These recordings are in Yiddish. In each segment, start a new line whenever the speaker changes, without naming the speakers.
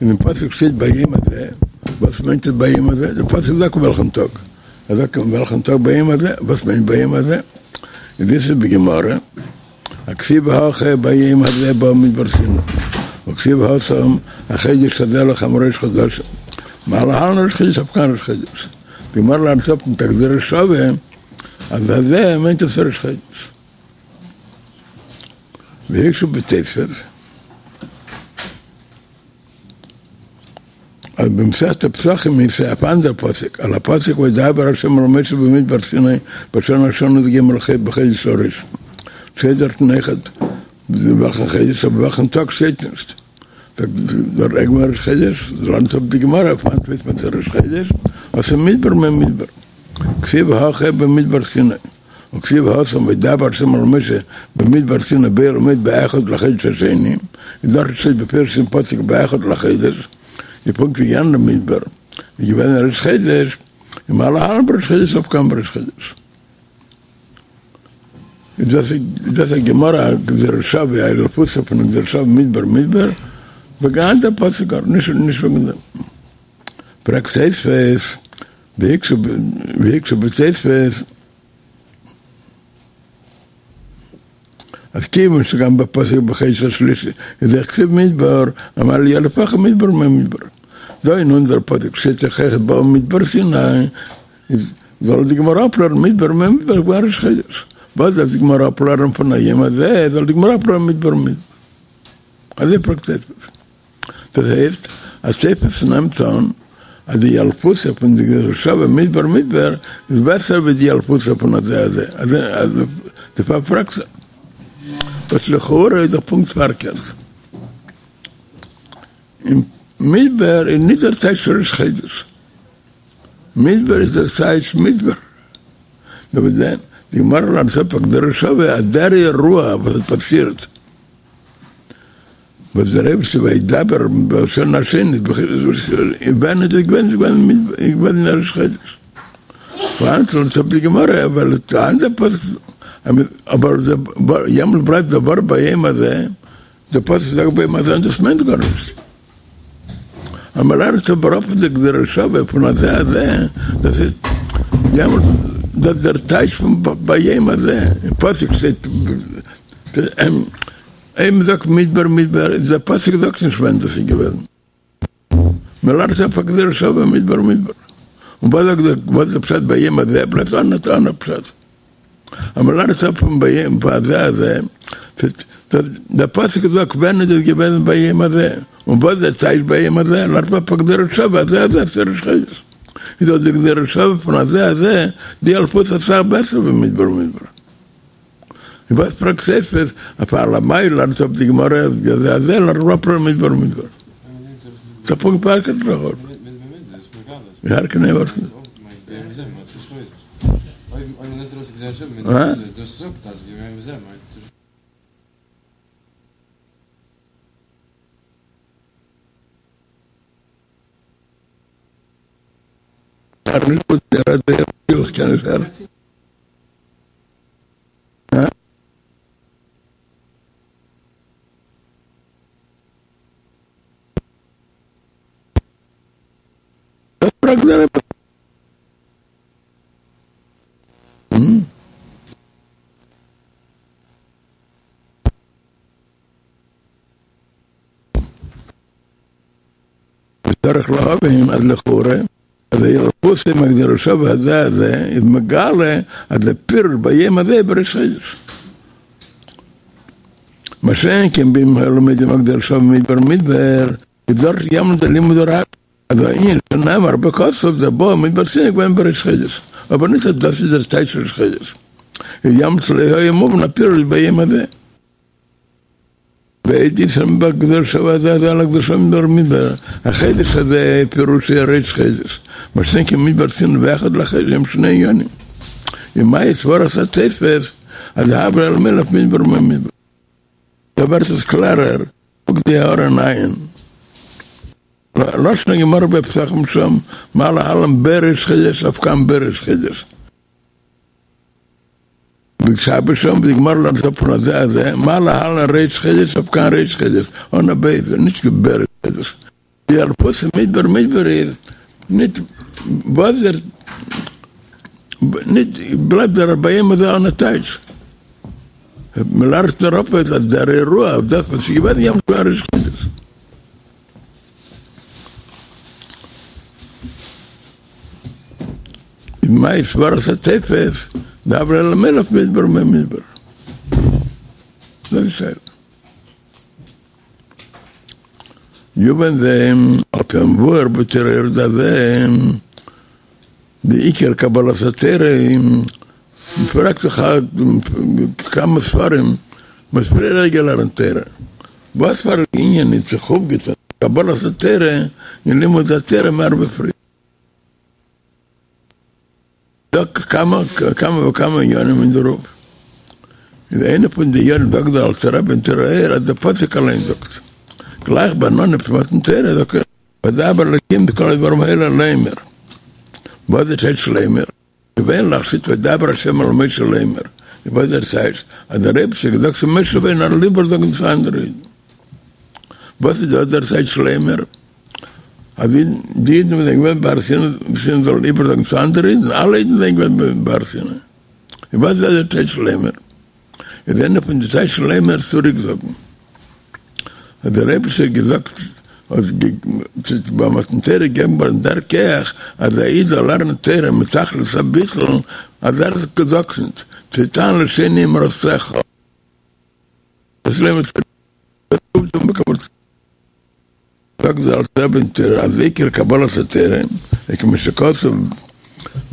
אין דעם פסוק שטייט ביום הזה, וואס מיינט עס ביום הזה? דער פסוק זאגט וועלכן טאג, ער זאגט אין וועלכן טאג ביום הזה, וואס מיינט ביום הזה? איז דאס איז בגמרא, הכתיב הכא ביום הזה באו מדבר סיני, וכתיב התם החדש הזה לכם ראש חדשים, מה להלן ראש חודש אף כאן ראש חודש, די גמרא לערנט אפ מיט א גזירה שווה אז הזה מיינט עס ראש חודש. והקשו בתוספות אז במסכת פסחים איז אויף אנדער פסוק, על הפסוק וידבר ה' אל משה במדבר סיני בשנה השנה י"ג בחודש הראשון, שטייט דארטן אויכעט וועלכן חודש אבער וועלכן טאג שטייט נישט, זאגט דער גמרא ראש חודש, לערנט אפ די גמרא פון וואנעט ווייסט מען ס'איז ראש חודש, אז מדבר ממדבר, כתיב הכא במדבר סיני. וכתיב התם וידבר ה' אל משה במדבר סיני באהל מועד באחד לחודש השני, איז דארט שטייט בפירוש אין פסוק באחד לחודש, איז פונקט ווי יענער מדבר איז געווען ראש חודש, און מה להלן בראש חודש אף כאן בראש חודש. איז דאס דאס א גמרא גזירה שווה א ילפותא פון גזירה שווה מדבר מדבר, וועגן אנדער פסוק גאר נישט נישט וועגן דעם. פרעגט תוספות והקשו בתוספות אז כיוון שגם בפסוק בחודש השלישי איז אויך כתיב מדבר, אמר ליילף הכא מדבר ממדבר. דא אין אונזער פסוק שטייט דאך אויכעט באו מדבר סיני, איז זאל די גמרא אפלערנען מדבר ממדבר געווען ראש חודש. וואס דארף די גמרא אפלערנען פון היום הזה, זאל די גמרא אפלערנען מדבר ממדבר. אזוי פרעגט תוספות. דאס הייסט אז תוספות נעמט אן אז די ילפותא פון די גזירה שווה מדבר מדבר איז בעסער ווי די ילפותא פון הזה הזה, אז דערפאר פרעגט ער. וואס לכאורה איז דאך פונקט פארקערט. אין מדבר איז נישט דער טייטש ראש חודש. מדבר איז דער טייטש מדבר. נאר וואס דען, די גמרא לערנט אפ א גזירה שווה אז דער אירוע וואס האט פאסירט וואס דער אייבערשטער וידבר בשנה השנית ווען איז עס געווען איז געווען איז געווען אין ראש חודש וואנעט לערנט אפ די גמרא ווייל די אנדערע פסוק אבער יעמאלט בלייבט דער ווארט ביום הזה דער פסוק זאגט ביום הזה און דאס מיינט גארנישט אז מען לערנט אבער אפ די גזירה שווה פון הזה הזה דאס איז יעמאלט דאס דער טייטש פון ביום הזה אין פסוק שטייט אויב מ'זאגט מדבר מדבר איז דער פסוק זאגט נישט ווען דאס איז געוועזן. מ'לערנט אפ א גזירה שווה מדבר מדבר. און וואס זאגט דער וואס איז דער פשט ביום הזה בלייבט אן אן א פשט. אז מ'לערנט אפ פון ביום הזה הזה דער פסוק זאגט ווען איז דאס געוועזן ביום הזה און וואס איז דער טייטש ביום הזה לערנט מען אפ א גזירה שווה הזה הזה איז ראש חודש. איז דאך די גזירה שווה פון הזה הזה די ילפותא אסאך בעסער ווי מדבר מדבר. און וואס פרעגט תוספות אויף אלמאי לערנט אפ די גמרא הזה הזה לערנט מען אפ מדבר מדבר. ס'איז פונקט פארקערט לכאורה. וצריך להבין אז לכאורה אז הילפותא מהגזירה שווה הזה הזה איז מגלה אז די פירוש ביום הזה בראש חודש. מה שאין כן ואם היו לומדים הגזירה שווה מדבר מדבר איז דארט יעמאלט די לימוד רק אז הענין שנאמר בכתוב דער באו מדבר סיני געווען בראש חודש אבער נישט אז דאס איז דער טייטש ראש חודש איז יעמאלט לא היה מובן הפירוש ביום הזה. ועוד יתרון בגזירה שווה הזה הזה על הגזירה שווה מדבר מדבר, החודש הזה פירושו ראש חודש, מה שאין כן מדבר סיני ואחד לחודש הם שני עניינים. ומהי סברת התוספות אז הב ליה למילף מדבר ממדבר. דא ווערט עס קלערער, קוק די הערה אין עיין. לשון הגמרא בפסחים שם, מה להלן בראש חודש אף כאן בראש חודש. בשבת שם די גמרא לערנט אפ פון הזה הזה, מה להלן ראש חודש אף כאן ראש חודש, אן א בית, נישט בראש חודש. די אלפות מדבר מדבר איז ניט וואס דער ניט בלייבט דער ביי אים אזוי אן א טייטש. מ'לערנט נאר אפ אז דער אירוע אויף דאס וואס איז געווען יעמאלט געווען ראש חודש. איז מאי סברת התופס דהוה ליה למילף מדבר ממדבר. דאס איז שאלה. יובן זה, על פי המבואר בתורה אור דזה, די עיקר קבלת התורה, מ'פרעגט זיך כמה ספרים וואס פריער האט געלערנט תורה, וואס פאר א ענין האט זיך אויפגעטון קבלת התורה און לימוד התורה מער ווי פריער? דא כמה כמה וכמה עניינים אין דערויף, איז איינע פון די עניינים זאגט דער אלטער רבי אין תורה אור אז דער פסוק אליין זאגט גלייך ביים אנהייב פון מתן תורה זאגט ער וידבר אלקים את כל הדברים האלה לאמר, וואס איז טייטש לאמר? געווענליך שטייט וידבר השם אל משה לאמר, איז וואס דער טייטש אז דער אייבערשטער האט געזאגט צו משה רבינו ער זאל איבערזאגן צו אנדערע אידן, וואס איז דא דער טייטש לאמר? אז די אידן וואס זענען געווען בהר סיני זאלן איבערזאגן צו אנדערע אידן, אלע אידן זענען געווען בהר סיני, און וואס איז דער טייטש לאמר? איז איינע פון די טייטש לאמר צוריקזאגן, האט דער אייבערשטער געזאגט, האט ביי מתן תורה געגעבן געווארן דער כח אז א איד זאל לערנען תורה מיט תכלית הביטול, אז ער זאגט ניט, תתן לשני אמרתך, דאס לאמר צוריק. זאגט דער אלטער רבי אין תורה אז עיקר קבלת התורה איז כמו שכתוב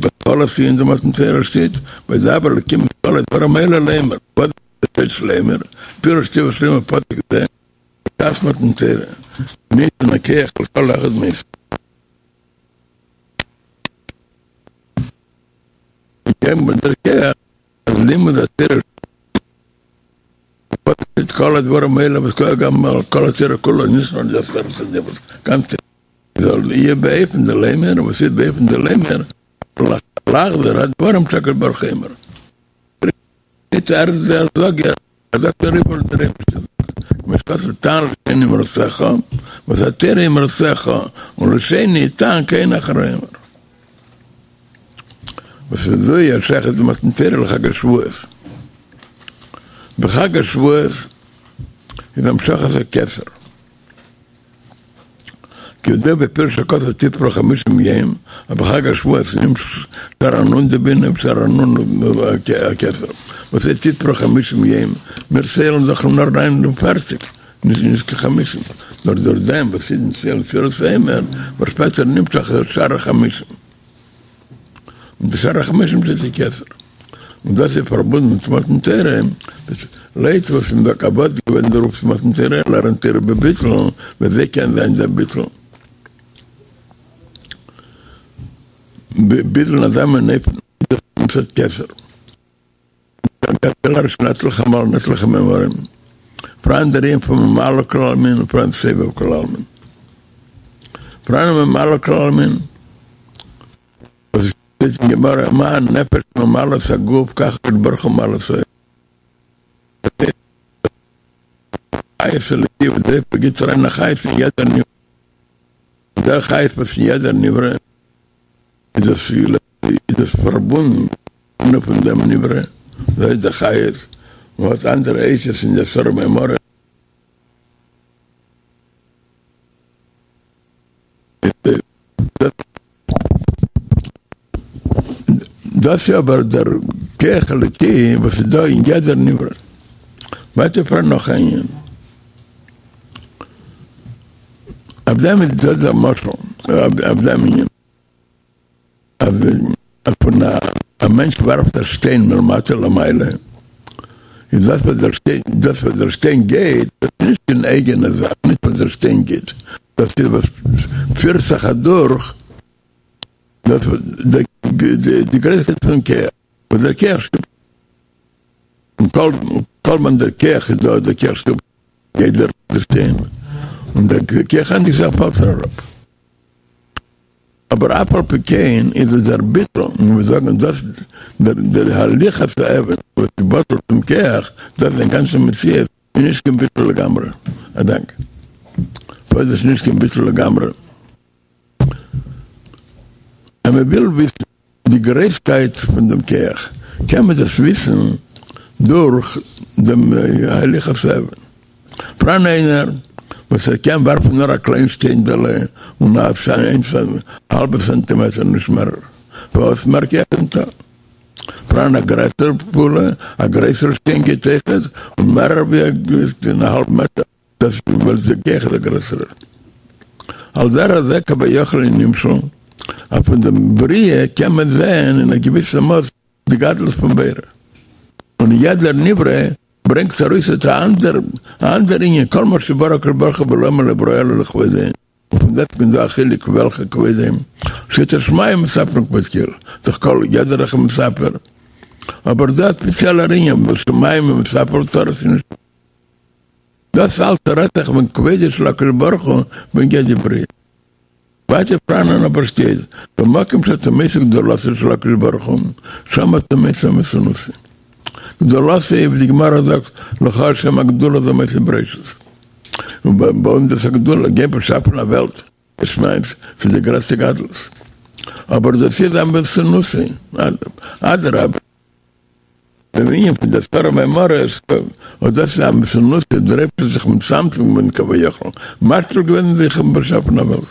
בהתחלת ענין דמתן תורה שטייט וידבר אלקים את כל הדברים האלה לאמר וואס איז טייטש לאמר פירוש תיבת לאמר פסוק זה בשעת מתן תורה ניתן הכח לכל אחד מישראל געגעבן דער כח אז לימוד התורה את כל הדברים האלה וואס כולל גם כל התורה כולה, נישט נאר די עשרת הדיברות, גם זאל יהיה באופן דלאמר, וואס איז באופן דלאמר, לחזור הדברים שהקדוש ברוך הוא אומר. נישט ער איז דער זאגער, ער זאגט נאר איבער וואס דער אייבערשטער זאגט, כמו שכתוב תען לשני אמרתך, וואס התורה אמרתך, ולשני תען כי אין אחר אומר. וואס איז אזוי א שייכות די מתן תורה לחג השבועות? בחג השבועות איז המשכת הכתר, כידוע בפירוש הכתוב תספרו חמישים יום, אז בחג השבועות נמשך שער הנון דבינה ושער הנון הכתר, וואס איז תספרו חמישים יום? מיר ציילן דאך נאר ניין און פערציג, נישט קיין חמישים, נאר דורך דעם וואס אידן ציילן ספירת העומר ווערט שפעטער נמשך שער החמישים. און די שער החמשים איז די כתר, און דאס איז פארבונדן מיט מתן תורה, לויט וואס מען זאגט אז וואס איז געווען דער אויפטו פון מתן תורה, לערנען תורה בביטול, ווי אזוי קען זיין דער ביטול? ביטול אין אזא מין אופן איז דאס מצד כתר. אין עטליכע מאל אין עטליכע מאמרים, פאראן דער ענין פון ממלא כל עלמין און פאראן סובב כל עלמין. פאראן ממלא כל עלמין, וואס עס שטייט אין גמרא מה הנפש ממלאה את הגוף כך הקדוש ברוך הוא ממלא את העולם. חיות אלוקי וואס דער אייבערשטער גיט אריין א חיות אין יעדער נברא, דער חיות וואס אין יעדער נברא איז דאס איז דאס פארבונדן נאר פון דעם נברא, דאס איז דער חיות, און האט אנדערע אותיות אין די עשרה מאמרים. דאס איז אבער דער כח אלוקי וואס איז דא אין יעדער נברא. ווייטער פאראן נאך א ענין. אויף דעם איז דא דער משל, אויף דעם ענין. אז ווען א מענטש ווארפט א שטיין מלמטה למעלה, איז דאס וואס דער שטיין, דאס וואס דער שטיין גייט, דאס איז נישט קיין אייגענע זאך, נישט וואס דער שטיין גייט, דאס איז וואס פירט זיך אדורך דאס די גרויסקייט פון כח, וואס דער כח שטופט, און כל כל זמן דער כח איז דא, דער כח שטופט, גייט דער שטיין, און דער כח ענדיגט זיך פאלט ער אראפ. אבער אף על פי כן איז עס דער ביטול, און מיר זאגן דאס דער הליכת האבן וואס איז בטל צום כח, דאס איז זיין גאנצע מציאות, איז נישט קיין ביטול לגמרי. א דאנק. פארוואס איז דאס נישט קיין ביטול לגמרי? אז מען וויל וויסן די גרויסקייט פון דעם כח, קען מען דאס וויסן דורך דעם הליכת האבן. פאראן איינער וואס ער קען ווארפן נאר א קליין שטיינדעלע און א האלבע סענטימעטער נישט מערער, פארוואס מער כח איז ניטא. פאראן א גרעסערע פעולה, א גרעסערע שטיין גייט אויכעט און מערער ווי א האלב מעטער. דאס איז ווייל די כח איז א גרעסערער. על דרך זה כביכול אין נמשל, אז פון דעם בריאה קען מען זען אין א געוויסע מאס די גדלות פון בורא. און יעדער נברא ברענגט ארויס אט א אנדער א אנדער ענין, כל מה שברא הקדוש ברוך הוא בעולמו לא ברא אלא לכבודו, און פון דעסטוועגן איז דא א חילוק וועלכע כבודו, שאת השמים מספרין כבוד קל, דאך כל יעדער איז מספר, אבער דא א ספעציעלער ענין וואס שמים מספר צרות איז נישט. דאס אלץ רעדט זיך וועגן כבודו של הקדוש ברוך הוא בנוגע די בריאה. ווייטער פאראנען אבער שטייט במקום שאתה מוצא גדולתו של הקדוש ברוך הוא שם אתה מוצא ענוותנותו. גדולתו ווי די גמרא זאגט לך השם הגדולה זה מעשה בראשית. און ביי אונז איז א גדולה גיין באשאפן א וועלט יש מאין ס'איז די גרעסטע גדלות. אבער דאס איז ענוותנותו אדרבה. דער ענין פון די עשרה מאמרות, אט דאס איז ענוותנותו, דער אייבערשטער האט זיך מצמצם געווען כביכול, משפיל געווען זיך און באשאפן א וועלט.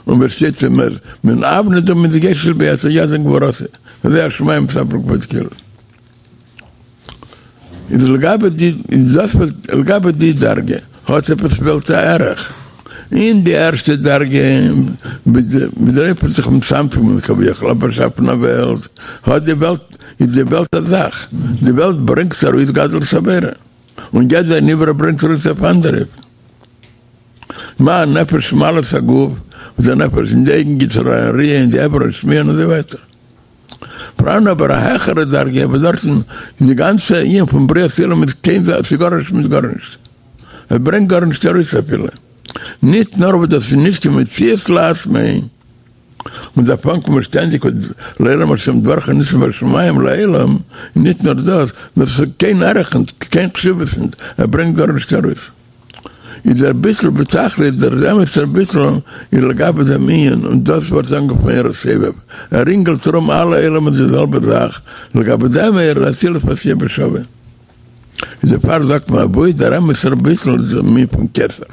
און ווי עס שטייט אין מן אבני דא מתגשת ביד יד גבורתו, וזה השמים מספרים כבוד קל. איז לגבי די איז דאס וואס לגבי די דרגה האט עפעס וועלט א ערך. אין די ערשטע דרגה ווי דער אייבערשטער האט זיך מצמצם געווען כביכול באשאפן א וועלט האט די וועלט איז די וועלט א זאך די וועלט ברענגט ארויס גדלות הבורא און יעדער נברא ברענגט ארויס אויף אנדערע אופן. מה הנפש ממלאה את הגוף וואס די נפש אין די אויגן גיט אריין ראיה אין די אברים שמיעה און אזוי ווייטער. פאראן אבער א העכערע דרגה וואס דארטן איז די גאנצע ענין פון בריאת עולם איז קיין זאך, ס'איז גארנישט מיט גארנישט, עס ברענגט גארנישט ארויס אפילו, נישט נאר וואס דאס איז נישט קיין מציאות לעצמו, און דארף אנקומען שטענדיג לעולם השם דברך ניצב בשמים לעולם, נישט נאר דאס, נאר ס'איז קיין ערך נישט, קיין חשיבות נישט, עס ברענגט גארנישט ארויס. איז דער ביטול בתכלית, דער אמת'ער ביטול איז לגבי דעם ענין, און דאס ווערט אנגערופן אור הסובב, ער רינגלט ארום אלע עולמות די זעלבע זאך, לגבי דעם אור איז אצילות ועשייה בשווה. איז דערפאר זאגט מען אוואו דער אמת'ער ביטול איז דער ענין פון כתר.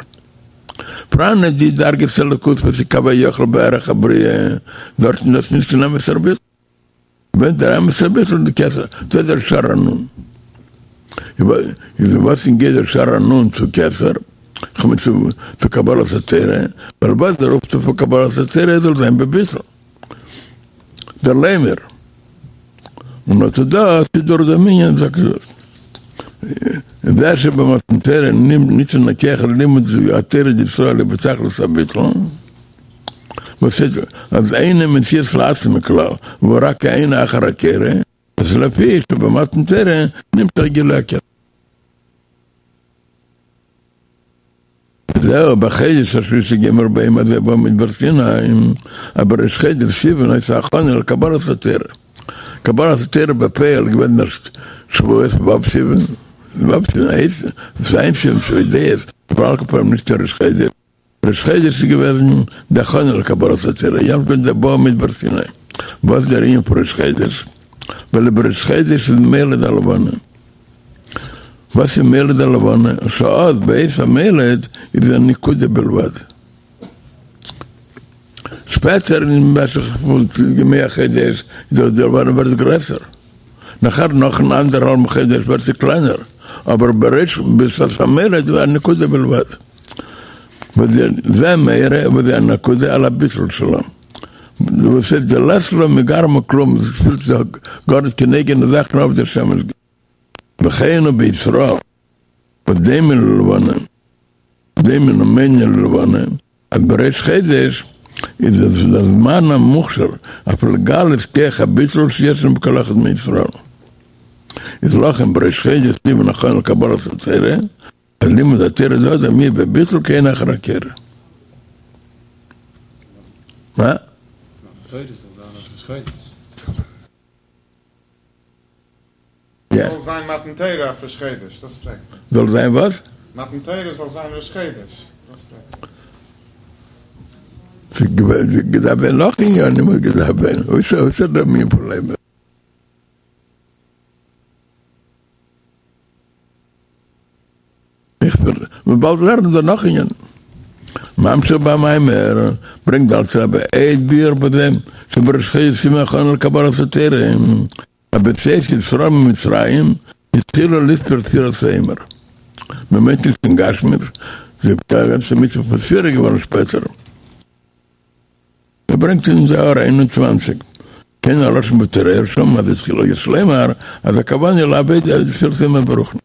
פאראן אין די דרגת אלוקות וואס איז כביכול בערך הבריאה, דארטן איז דאס נישט קיין אמת'ער ביטול. ווען דער אמת'ער ביטול איז די כתר, דאס איז דער שער הנון. איז וואס נוגע דער שער הנון צו כתר, כ'מיין צו קבלת התורה, ווייל וואס דער אויפטו פון קבלת התורה זאל זיין בביטול. דער לאמר. און אט דאס איז דורך דעם ענין זאגט דאס. זה שבמתן תורה ניתן הכח ללימוד התורה דישראל בתכלית הביטול. וואס איז אז אינו מציאות לעצמו כלל, והוא רק כעין אחר הקורא, אז לפי שבמתן תורה נמשך גילוי הכתר. זהו בחודש השלישי גומר ביום הזה במדבר סיני, אז בראש חודש סיוון היתה הכנה לקבלת התורה. קבלת התורה בפועל געווען ערשט שבועות ו' סיוון, ו' סיוון הייסט ז' סיוון שבועות, אבער על כל פנים נישט ראש חודש. ראש חודש איז געוועזן די הכנה לקבלת התורה, יעמאלט געווען דער במדבר סיני, וואס איז דער ענין פון ראש חודש? ווייל בראש חודש איז מולד הלבנה, וואס איז מולד הלבנה? שאז בעת המולד איז א נקודה בלבד, שפעטער אין משך פון ימי החודש איז דאך די לבנה ווערט גרעסער, נאכער נאכן אנדערהאלבן חודש ווערט זי קלענער, אבער בראש בשעת המולד איז א נקודה בלבד. וזה מאיר וזה הנקודה על הביטול שלה. וואס איז דלית לה מגרמה כלום, עס פילט זיך גארנישט קיין אייגענע זאך נאר אויף דער שמש. וכן הוא בישראל, וואס דומה ללבנה, דומה ומונה ללבנה, אז בראש חודש איז עס דער זמן המוכשר אויף לגלות כח הביטול שישנו בכל אחד מישראל. איז לכן בראש חודש סיוון הכנה לקבלת התורה, אז לימוד התורה דאדם יהיה בביטול כעין אחר הקורא. מה?
תורה זאל זיין אויף ראש חודש.
יא.
זאל זיין מתן תורה אויף ראש חודש, דאס פרעגט מען.
זאל זיין וואס?
מתן תורה זאל זיין ראש חודש.
ס'געדארפט זיין נאך עניינים וואס געדארפט זיין, אויסער דעם ענין פון לעמער. איך וועל באלד לערנען דא נאך עניינים. ממשיך במאמר, ברענגט דער אלטער רבי עוד ביאור בזה, שבראש חודש סיוון הכנה לקבלת התורה, אז בצאת ישראל ממצרים התחילו לספור ספירת העומר. מען מיינט נישט אין גשמיות, די גאנצע מצוה פון ספירה איז געווארן שפעטער. ער ברענגט אין די הערה 21, כן הלשון בתורה אור שם אז התחילו יש לומר אז הכוונה לעבוד ספירת העומר ברוחניות.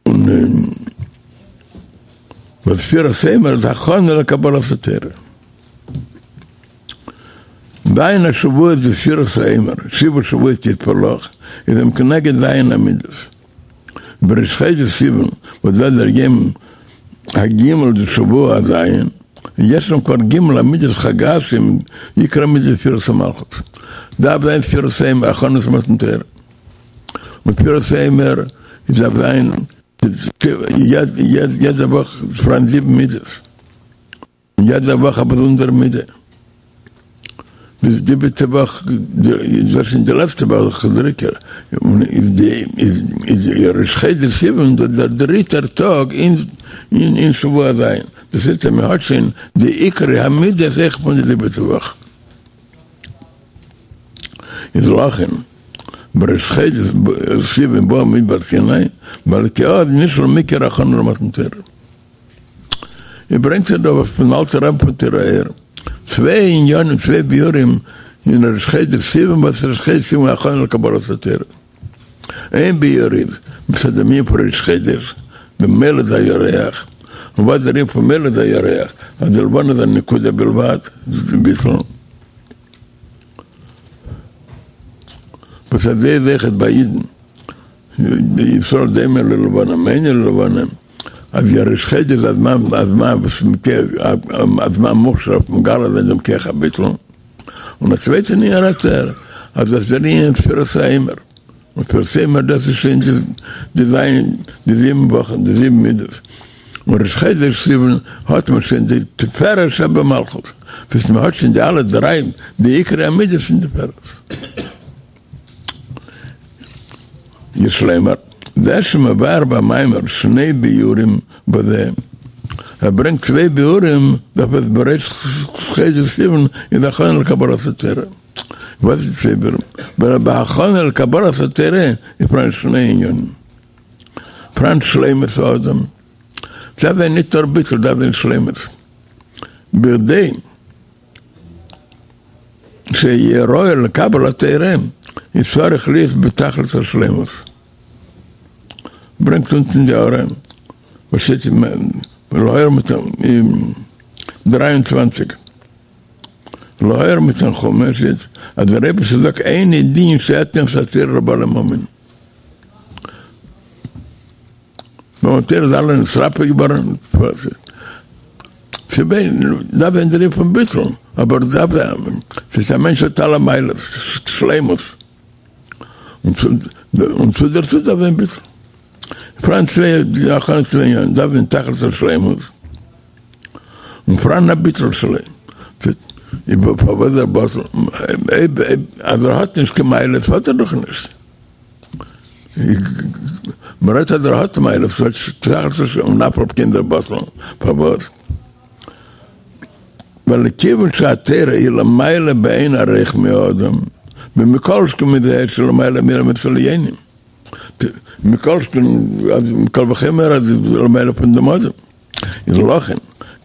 און וואס ספירת העומר איז הכנה לקבלת התורה. ז' השבועות דספירת העומר, שבעה שבועות יספר לך, איז הם כנגד ז' המידות. בראש חודש סיוון, וואס דאס דער יום הג' דשבוע הז', יש שם כבר ג' המידות חג"ת שהם עיקר המידות דספירת המלכות. דארף זיין ספירת העומר, הכנות למתן תורה. און ספירת העומר איז דארף זיין יעדע וואך פאראן זיבן מידות, און יעדע וואך א באזונדערע מידה. ביז די זיבעטע וואך, דאס איז די לעצטע וואך דער עיקר, איז ראש חודש סיוון דער דריטער טאג אין שבוע הז', דאס הייסט אז מען האט שוין די עיקרי המידות אויך פון די זיבעטע וואך. איז לכן בראש חודש סיוון באו במדבר סיני, ווייל כי אז נשלם עיקר הכנה למתן תורה. ער ברענגט זיך דא פון אלטער רבי פון תורה אור, צוויי עניינים צוויי ביאורים אין ראש חודש סיוון וואס ראש חודש סיוון הכנה לקבלת התורה. איין ביאור איז מצד דעם ענין פון ראש חודש, דעם מולד הירח, און וואס דער ענין פון מולד הירח, אז די לבנה איז א נקודה בלבד, ביטול. וואס אזוי איז אויכעט ביי אידן, ישראל דומה ללבנה מאינה ללבנה, אז דער ראש חודש איז א זמן א זמן וואס א זמן מוכשר אויף מגלה זיין דעם כח הביטול, און א צווייטע ענין רעדט ער אז דאס איז דער ענין ספירת העומר, און ספירת העומר דאס איז שוין די ז' די זיבן וואכן די זיבן מידות, און ראש חודש סיוון האט מען שוין די תפארת שבמלכות, דאס מען האט שוין די אלע דריי די עיקרי המידות פון תפארת. יש לומר, זה שמבאר במאמר שני ביאורים בזה, ער ברענגט צוויי ביאורים דארף עס בראש חודש סיוון איז הכנה לקבלת התורה. וואס איז צוויי ביאורים? ווייל בהכנה לקבלת התורה איז פאראן שני ענינים. פאראן שלימות האדם, דארף זיין ניט נאר ביטול, דארף זיין שלימות. בכדי שיהיה ראוי לקבל התורה איז צריך להיות בתכלית השלימות. ברענגט אונטן אין די הערה וואס שטייט אין להעיר אין 23 להעיר מתנחומא שטייט אז דער אייבערשטער זאגט איני דין שאתן את התורה לבעלי ממון. ביי מתן תורה איז אלע נתרפא געווארן, דארף זיין דער ענין פון ביטול, אבער דארף זיין, ס'איז א מענטש האט אלע מעלות, שלימות, און צו דערצו דארף זיין ביטול. פאראן צוויי הכנות צוויי ענינים, דארף זיין תכלית השלימות, און פאראן א ביטול שלו. פארוואס דער בטל? אז ער האט נישט קיין מעלות האט ער דאך נישט. מ'רעדט אז ער האט מעלות, און אף על פי כן איז ער בטל, פארוואס? ווייל כיוון שהתורה היא למעלה באין ערוך מהאדם, ומכל שכן מזה שלמעלה מעולמות עליונים, מכל שכן, קל וחומר אז למעלה פון דעם אדם, איז לכן,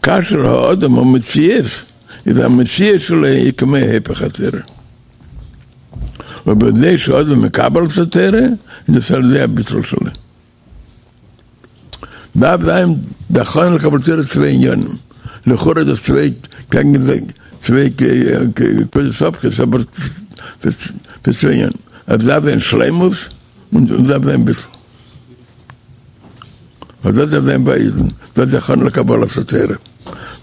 כאשר האדם הוא מציאות, איז המציאות שלו היא כמו היפך התורה. ובזה שהאדם מקבל את התורה, איז דאס על ידי הביטול שלו. דארף זיין די הכנה לקבלת תורה צוויי עניינים, לכאורה דאס צוויי קעגן צוויי נקודות הפכיות, אבער ס'איז צוויי עניינים, עס דארף זיין שלימות און עס דארף זיין ביטול. און דאס דארף זיין ביי אידן, דאס איז די הכנה לקבלת התורה.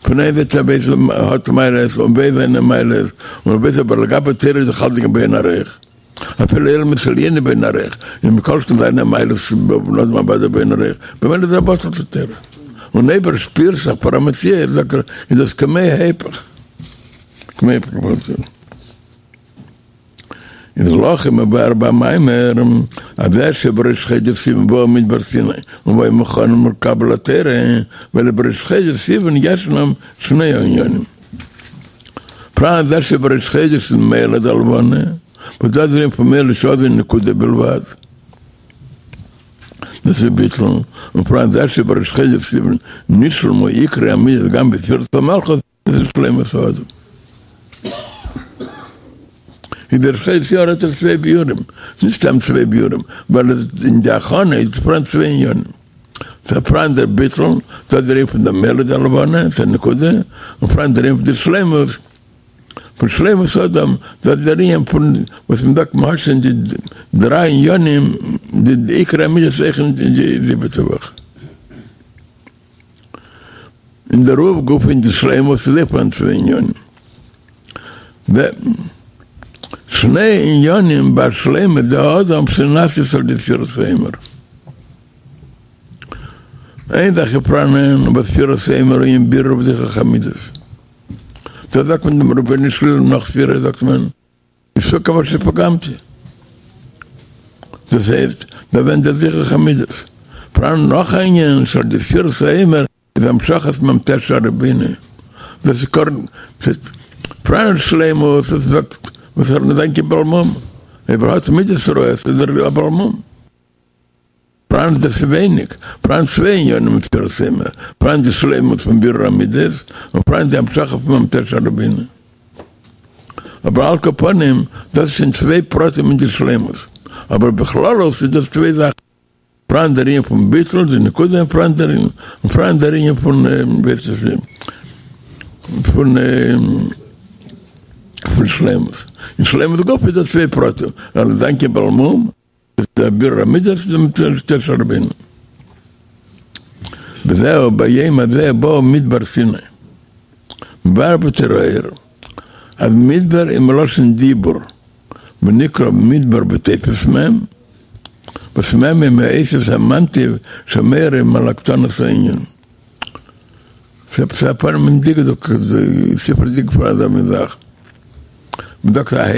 פון איין זייט ער ווייסט ער האט מעלות און ווייסט זיינע מעלות, און ווייסט אבער לגבי תורה איז דאך אלץ באין ערוך. אפילו עולמות עליונים באין ערוך, און מכל שכן זיינע מעלות בבין אדם הבא באין ערוך, במילא איז ער בטל צו תורה. און אויב ער שפירט זיך פאר א מציאות זאגט ער איז דאס כמו היפך. כמו היפך פון תורה. איז להכי מבואר במאמר אז זה שבראש חודש סיוון באו מדבר סיני והיו מוכנים לקבל התורה, ווייל בראש חודש סיוון ישנם שני ענינים. פראן זה שבראש חודש איז מולד הלבנה, וואס דאס איז דער ענין פון מולד שאז איז נקודה בלבד, דאס איז ביטול, און פראן זה שבראש חודש סיוון נשלמו עיקרי המידות גם בספירת המלכות, דאס איז שלימות האדם. איז דער ראש חודש סיוון האט ער צוויי ביאורים, נישט סתם צוויי ביאורים, ווייל אין די הכנה איז פאראן צוויי עניינים. ס'איז פאראן דער ביטול, דאס איז דער ענין פון דער מולד הלבנה, ס'איז א נקודה, און פאראן דער ענין פון די שלימות, פון שלימות האדם, דאס איז דער ענין פון וואס מען זאגט מ'האט שוין די דריי עניינים, די עיקרי המידות אויך אין די זיבעטע וואך. אין דערויף גופא אין די שלימות איז אויך פאראן צוויי עניינים. שני עניינים בשלימות דהאדם שנעשית על ידי ספירת העומר. איין זאך איז פאראנען וואס ספירת העומר אין בירור וזיכוך המידות. דאס זאגט מען דעם רבונו של עולם נאך ספירה זאגט מען. ס'איז כמה שפגמתי. דאס הייסט, דא ווערט דער זיכוך המידות. פאראן נאך א ענין שעל ידי ספירת העומר איז המשכת מ"ט שערי בינה. דאס איז קרן, פאראן שלימות וואס זאגט וואס ער זיין כבעל מום. אויב ער האט מידות רעות איז ער א בעל מום. פאראן דאס איז ווייניג, פאראן צוויי עניינים אין ספירת העומר, פאראן די שלימות פון בירור המידות, און פאראן די המשכה פון מ"ט שערי בינה. אבער על כל פנים, דאס איז שוין צוויי פרטים אין די שלימות, אבער בכללות איז דאס צוויי זאכן, פאראן דער ענין פון ביטול, די נקודה, און פאראן דער ענין, און פאראן דער ענין פון, ווי הייסט עס, פון פון שלימות. אין שלימות גופא איז דא צוויי פרטים, ער זאל זיין כבעל מום, דער בירור המידות איז מ"ט שערי בינה. וזהו ביום הזה באו מדבר סיני. מבאר בתורה אור אז מדבר איז מלשון דיבור ונקרא מדבר בתופס מ' וואס מ' איז מאותיות המנתיב שמורים על הקטנת הענין. ס'איז א פנים אין דקדוק, ספר דקדוק פאר אזא מין זאך. מ'זאגט א ה',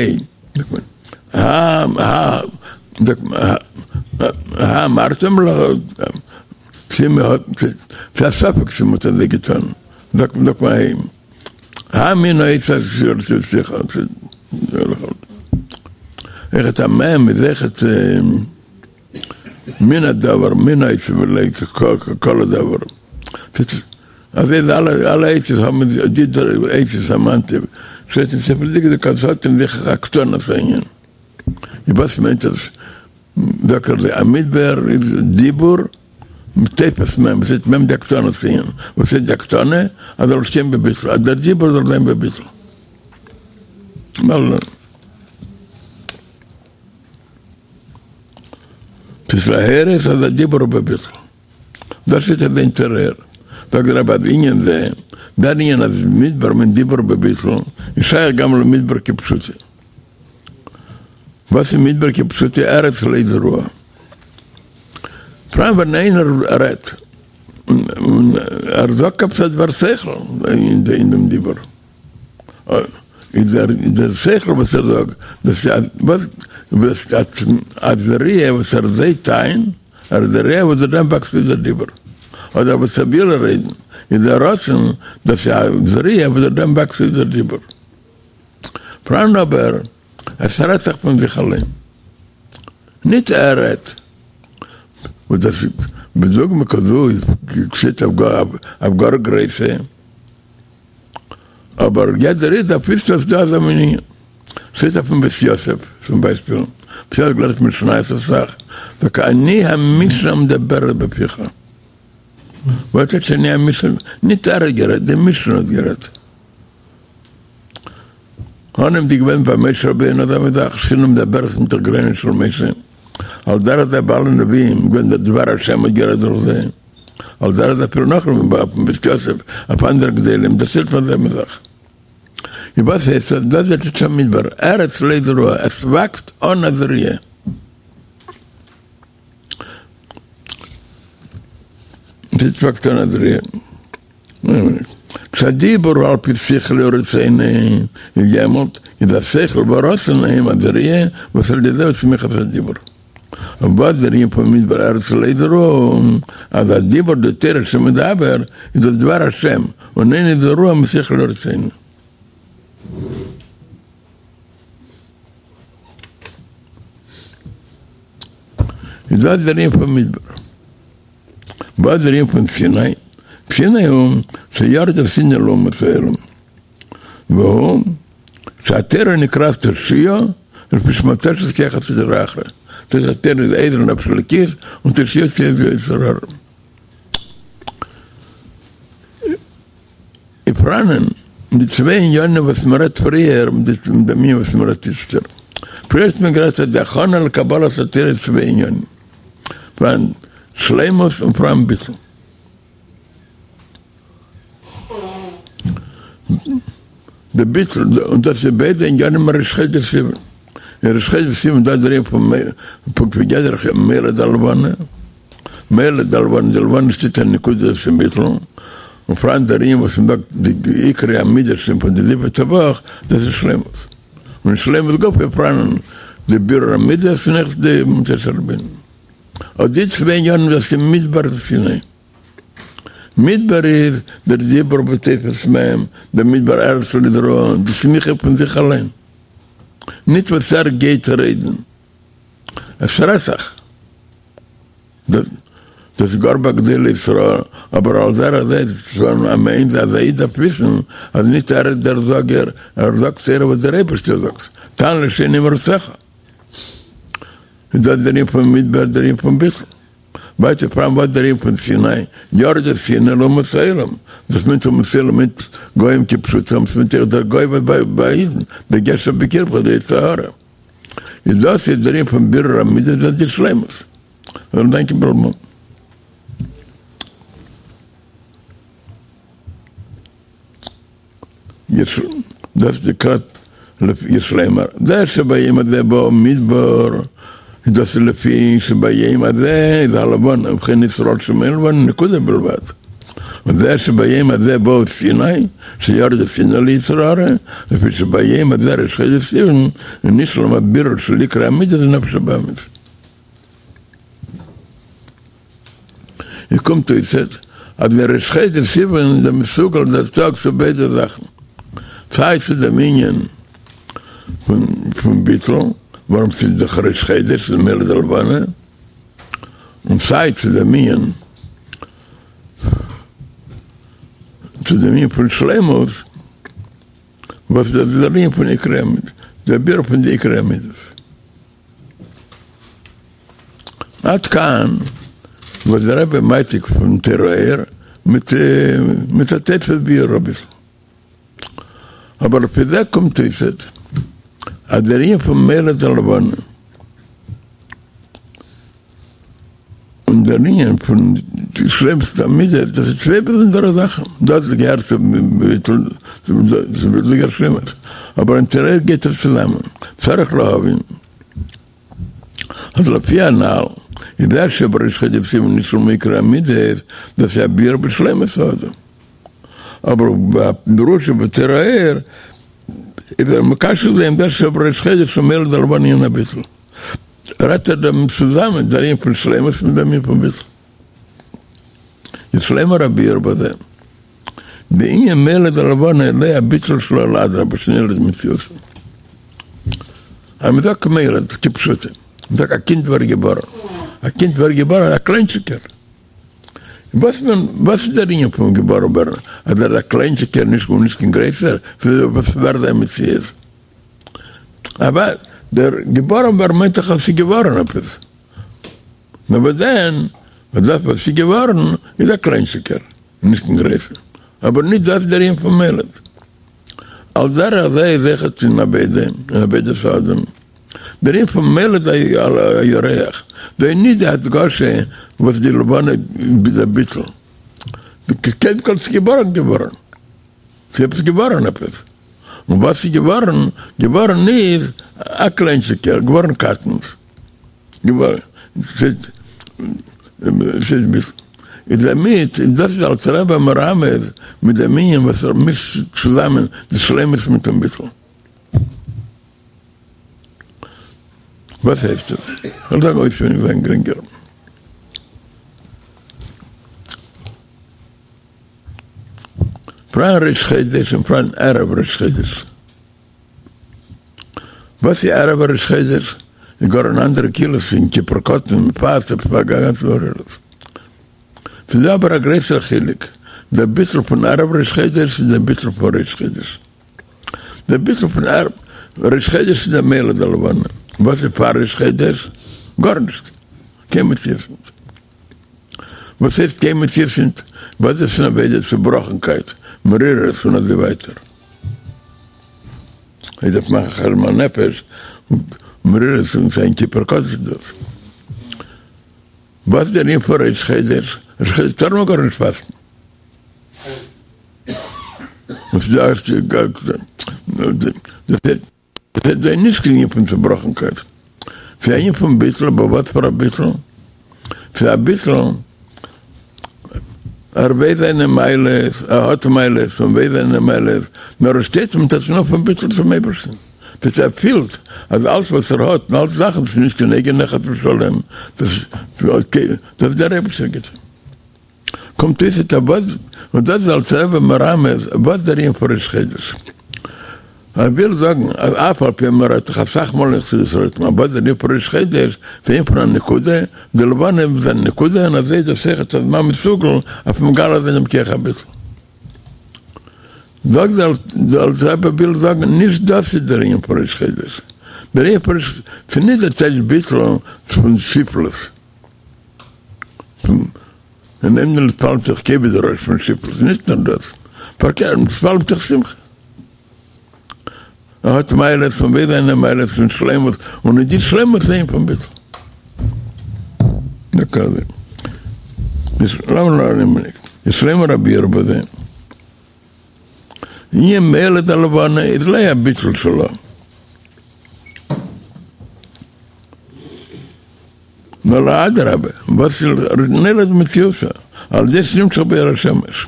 זאגט מען הא הא זאגט מען הא אמרתם צו מ'האט ס'איז א ספק צו מ'האט אזוי געטון, זאגט מען זאגט מען א ה'. הא מן העצה אויכעט א מ' איז אויכעט מן הדבר מן העצה ולא כל הדבר. אזוי איז אלע אלע אותיות האבן די אותיות המנתיב שטייט אין ספר דקדוק אז עס האט אין זיך הקטנת הענין. וואס מיינט עס? זאגט ער א מדבר איז דיבור מיט תופס מ' וואס הייסט מ' די הקטנת הענין וואס איז די הקטנה? אז זאל שטיין בביטול אז דער דיבור זאל זיין בביטול. ס'איז להורות אז הדיבור הוא בביטול. דאס איז דער תורה אור. זאגט דער רבי אז ענין זה, דער ענין אז מדבר מיינט דיבור בביטול, איז שייך גם למדבר כפשוטו. וואס איז מדבר כפשוטו? ארץ לא זרועה. פאראן ווען איינער רעדט און ער זאגט עפעס א דבר שכל אין דעם דיבור. איז דער דער שכל וואס ער זאגט, דאס איז וואס א זריעה וואס ער זייט איין, ער איז זורע וואס דורך דעם וואקסט אויס דער דיבור. אדער וואס ער וויל רעדן, איז דער רצון, דאס איז א זריעה וואס דורך דעם וואקסט אויס דער דיבור. פאראן אבער, עס רעדט זיך פון זיך אליין. ניט ער רעדט. וואס דאס איז בדוגמא כזו איז געשעט אויף גאר גרויסע. אבער יעדער איד דארף וויסן אז ס'דא אזא מין ענין. שטייט אויפן בית יוסף צום ביישפיל, בית יוסף לערנט משניות אסאך, זאגט אני המשנה המדברת בפיך. וואס טייטש אני המשנה? נישט ער האט גערעדט, די משנה האט גערעדט. אנהייב איז געווען ביי משה רבינו אזא מין זאך, שכינה מדברת מתוך גרונו של משה, על דרך זה ביי אלע נביאים געווען דער דבר השם האט גערעדט דורך זיי. על דרך זה אפילו נאך אויפן בית יוסף, אויף אנדערע גדולים, דערציילט מען זעלבע זאך. איז וואס הייסט דאס? דאס איז דער מדבר, ארץ לא זרועה, עס וואקסט אן א זריעה. עס וואקסט אן א זריעה. כשהדיבור הוא על פי שכלו ורצונו איז יעמאלט איז השכל והרצון הם הזריעה וואס על ידי זה הוא צמיחת הדיבור. און וואס דער ענין פון מדבר ארץ לא זרועה אז הדיבור דתורה שמדבר איז דאס דבר השם און אינו זרוע משכלו ורצונו. איז דאס דער ענין פון מדבר. וואס דער ענין פון סיני? סיני הוא שירדה סיני לאומות העולם. והוא שהתורה נקראת תושיה לפי שמותשת כח הסטרא אחרא. דאס אז תורה איז עזר לנפש האלוקית און תושיה צו יצר הרע. איז פאראנען די צוויי עניינים וואס מען רעדט פריער מיט דעם ענין וואס מען רעדט איצטער. פריער האט מען גערעדט אז די הכנה לקבלת התורה איז צוויי עניינים. פאראן שלימות און פאראן ביטול. די ביטול, און דאס איז ביידע עניינים אין ראש חודש סיוון. אין ראש חודש סיוון דא דער ענין פון פונקט ווי גדר מולד הלבנה, מולד הלבנה, די לבנה שטייט א נקודה אין ביטול, און פאראן דער ענין וואס מ'זאגט די עיקרי המידות פון די זיבעטע וואך, דאס איז שלימות. און שלימות גופא פאראן די בירור המידות און אויך די מצות רבינו. אט די צוויי עניינים דאס איז מדבר סיני. מדבר איז דער דיבור ותופס מהם, דער מדבר ארץ לא זרועה, די צמיחה פון זיך אליין. נישט וואס ער גייט רעדן. עס רעדט זיך. דאס איז גאר ביי גדולי ישראל, אבער על דרך זה איז שוין א מעין אז א איד דארף וויסן אז נישט ער איז דער זאגער, ער זאגט תורה וואס דער אייבערשטער זאגט, תען לשוני מרצך. איז דאס דער ענין פון מדבר דער ענין פון ביטול. ווייטער פאראן וואס דער ענין פון סיני, ירדה סיני לאומות העולם, דאס מיינט אומות העולם מיינט גוים כפשוטם, ס'מיינט אויך דער גוי וואס ביי אידן, דגש שבקרבך דער יצר הרע. איז דאס איז דער ענין פון בירור המידות דאס די שלימות. זאל דאנקען בעלמא. יש דאס נקראת יש לומר זה שביום הזה באו מדבר דאס איז לפי שביום הזה איז הלבנה ובכן ישראל שאין לבנה נקודה בלבד וזה שביום הזה באו סיני שירדה סיני ליצר הרע לפי שביום הזה ראש חודש סיוון נשלם הבירור של עיקרי המידות ונפש הבהמית. און קומט אויס אז דער ראש חודש סיוון איז דער מסוגל דער טאג צו ביידע זאכן, סיי צו דעם ענין פון ביטול, ווארום ס'איז דאך ראש חודש, ס'איז מולד הלבנה, און סיי צו דעם ענין צו דעם ענין פון שלימות, וואס דאס איז דער ענין פון עיקרי המידות, דער ביאור פון די עיקרי המידות. עד כאן וואס דער רבי מעתיק פון תורה אור מיט מיט א תוספות ביאור אביסל. אבער לפי זה קומט אויס אז דער ענין פון מולד הלבנה און דער ענין פון שלימות המידות דאס איז צוויי באזונדערע זאכן, דאס געהערט צו ביטול צו ביטול שלימות, אבער אין תורה אור גייט עס צוזאמען, צריך להבין אז לפי הנל איז זה שבראש חודש סיוון נשלמו עיקרי המידות, דאס איז א ביאור בשלימות האדם, אבער בדרוש שבתורה אור איז ער מקשר זה עם זה שבראש חודש הוא מולד הלבנה ענין הביטול. רעדט ער דעם צוזאמען דער ענין פון שלימות מיט דעם ענין פון ביטול. יש לומר הביאור בזה. דענין מולד הלבנה לא הביטול שלו אלא אדרבה שנולד מציאותו. אז מ'זאגט מולד כפשוטו, מ'זאגט א קינד ווערט געבארן, א קינד ווערט געבארן א קליינטשיקער. וואס וואס איז דער ענין פון געבארן ווערן? אז ער איז א קליינטשיקער נישט נישט קיין גרעסער, וואס ווערט זיין מציאות? אבער דער געבארן ווערן מיינט דאך אז ס'איז געווארן עפעס. נאר וואס דען, אז דאס וואס איז געווארן איז א קליינטשיקער, נישט קיין גרויסער. אבער נישט דאס איז דער ענין פון מולד. על דרך זה איז אויכעט אין עבודה, אין עבודת האדם. דער ענין פון מולד הירח, דא איז נישט די הדגשה וואס די לבנה איז א ביטול. קודם כל ס'איז געבארן געווארן. ס'איז עפעס געווארן עפעס. און וואס איז געווארן? געווארן איז א קליינטשיקער, געווארן קטנות, געווארן, ס'איז ביטול. איז דערמיט, און דאס איז אלטער רבי מרמז מיט דעם ענין וואס ער מישט צוזאמען די שלימות מיטן ביטול. וואס הייסט עס? כ'וועל זאגן אויסווייניג זיין גרינגער. פאראן ראש חודש און פאראן ערב ראש חודש. וואס איז ערב ראש חודש? איז גאר אן אנדערע כאילו ס'איז יום כיפור קטן מ'פאסט עפעס א גאנצע התעוררות. ס'איז דא אבער א גרויסער חילוק, דער ביטול פון ערב ראש חודש און דער ביטול פון ראש חודש. דער ביטול פון ערב ראש חודש איז דער מולד הלבנה. וואס איז פאר ראש חודש? גארנישט. קיין מציאות נישט. וואס הייסט קיין מציאות נישט? וואס איז אן עבודה? צובראכנקייט, מרירות און אזוי ווייטער. איך דארף מאכן חשבון הנפש, מרירות און יום כיפור קטן איז דאס. וואס איז דער ענין פון ראש חודש? ראש חודש טאר מען גארנישט פאסטן. וואס איז דאס? דאס איז נישט קיין ענין פון צובראכנקייט, ס'איז א ענין פון ביטול, אבער וואס פאר א ביטול? ס'איז א ביטול, ער ווייסט זיינע מעלות, ער האט מעלות און ווייסט זיינע מעלות, נאר ער שטייט מיט א תנועה פון ביטול צום אייבערשטן, דאס ער פילט אז אלץ וואס ער האט און אלץ זאכן איז נישט קיין אייגענע חס ושלום, דאס איז דער אייבערשטער גיט. קומט אויס איז וואס, און דאס איז אלטער רבי מרמז וואס דער ענין פון ראש חודש. ער וויל זאגן אז אף על פי מ'רעדט דאך אסאך מאל אין חסידות רעדט מען וואס דער ענין פון ראש חודש, ס'איז ענין פון א נקודה, די לבנה איז א נקודה און אזוי איז דאס אויכעט א זמן מסוגל אויף מגלה זיין דעם כח הביטול. זאגט דער אלטער רבי וויל זאגן נישט דאס איז דער ענין פון ראש חודש, דער ענין פון ראש, ס'איז נישט דער טייטש ביטול פון שפלות. און אין נתפעל מתוך כובד הראש פון שפלות, נישט נאר דאס, פארקערט, נתפעל מתוך שמחה. ער האט מעלות פון ביידע זיינע מעלות פון שלימות, און אין די שלימות זעהן פון ביטול. יש לומר הביאור בזה. ענין מולד הלבנה איז לא הביטול שלו. נאר אדרבה, וואס איז נולד מציאותו, על ידי שנמשך באור השמש.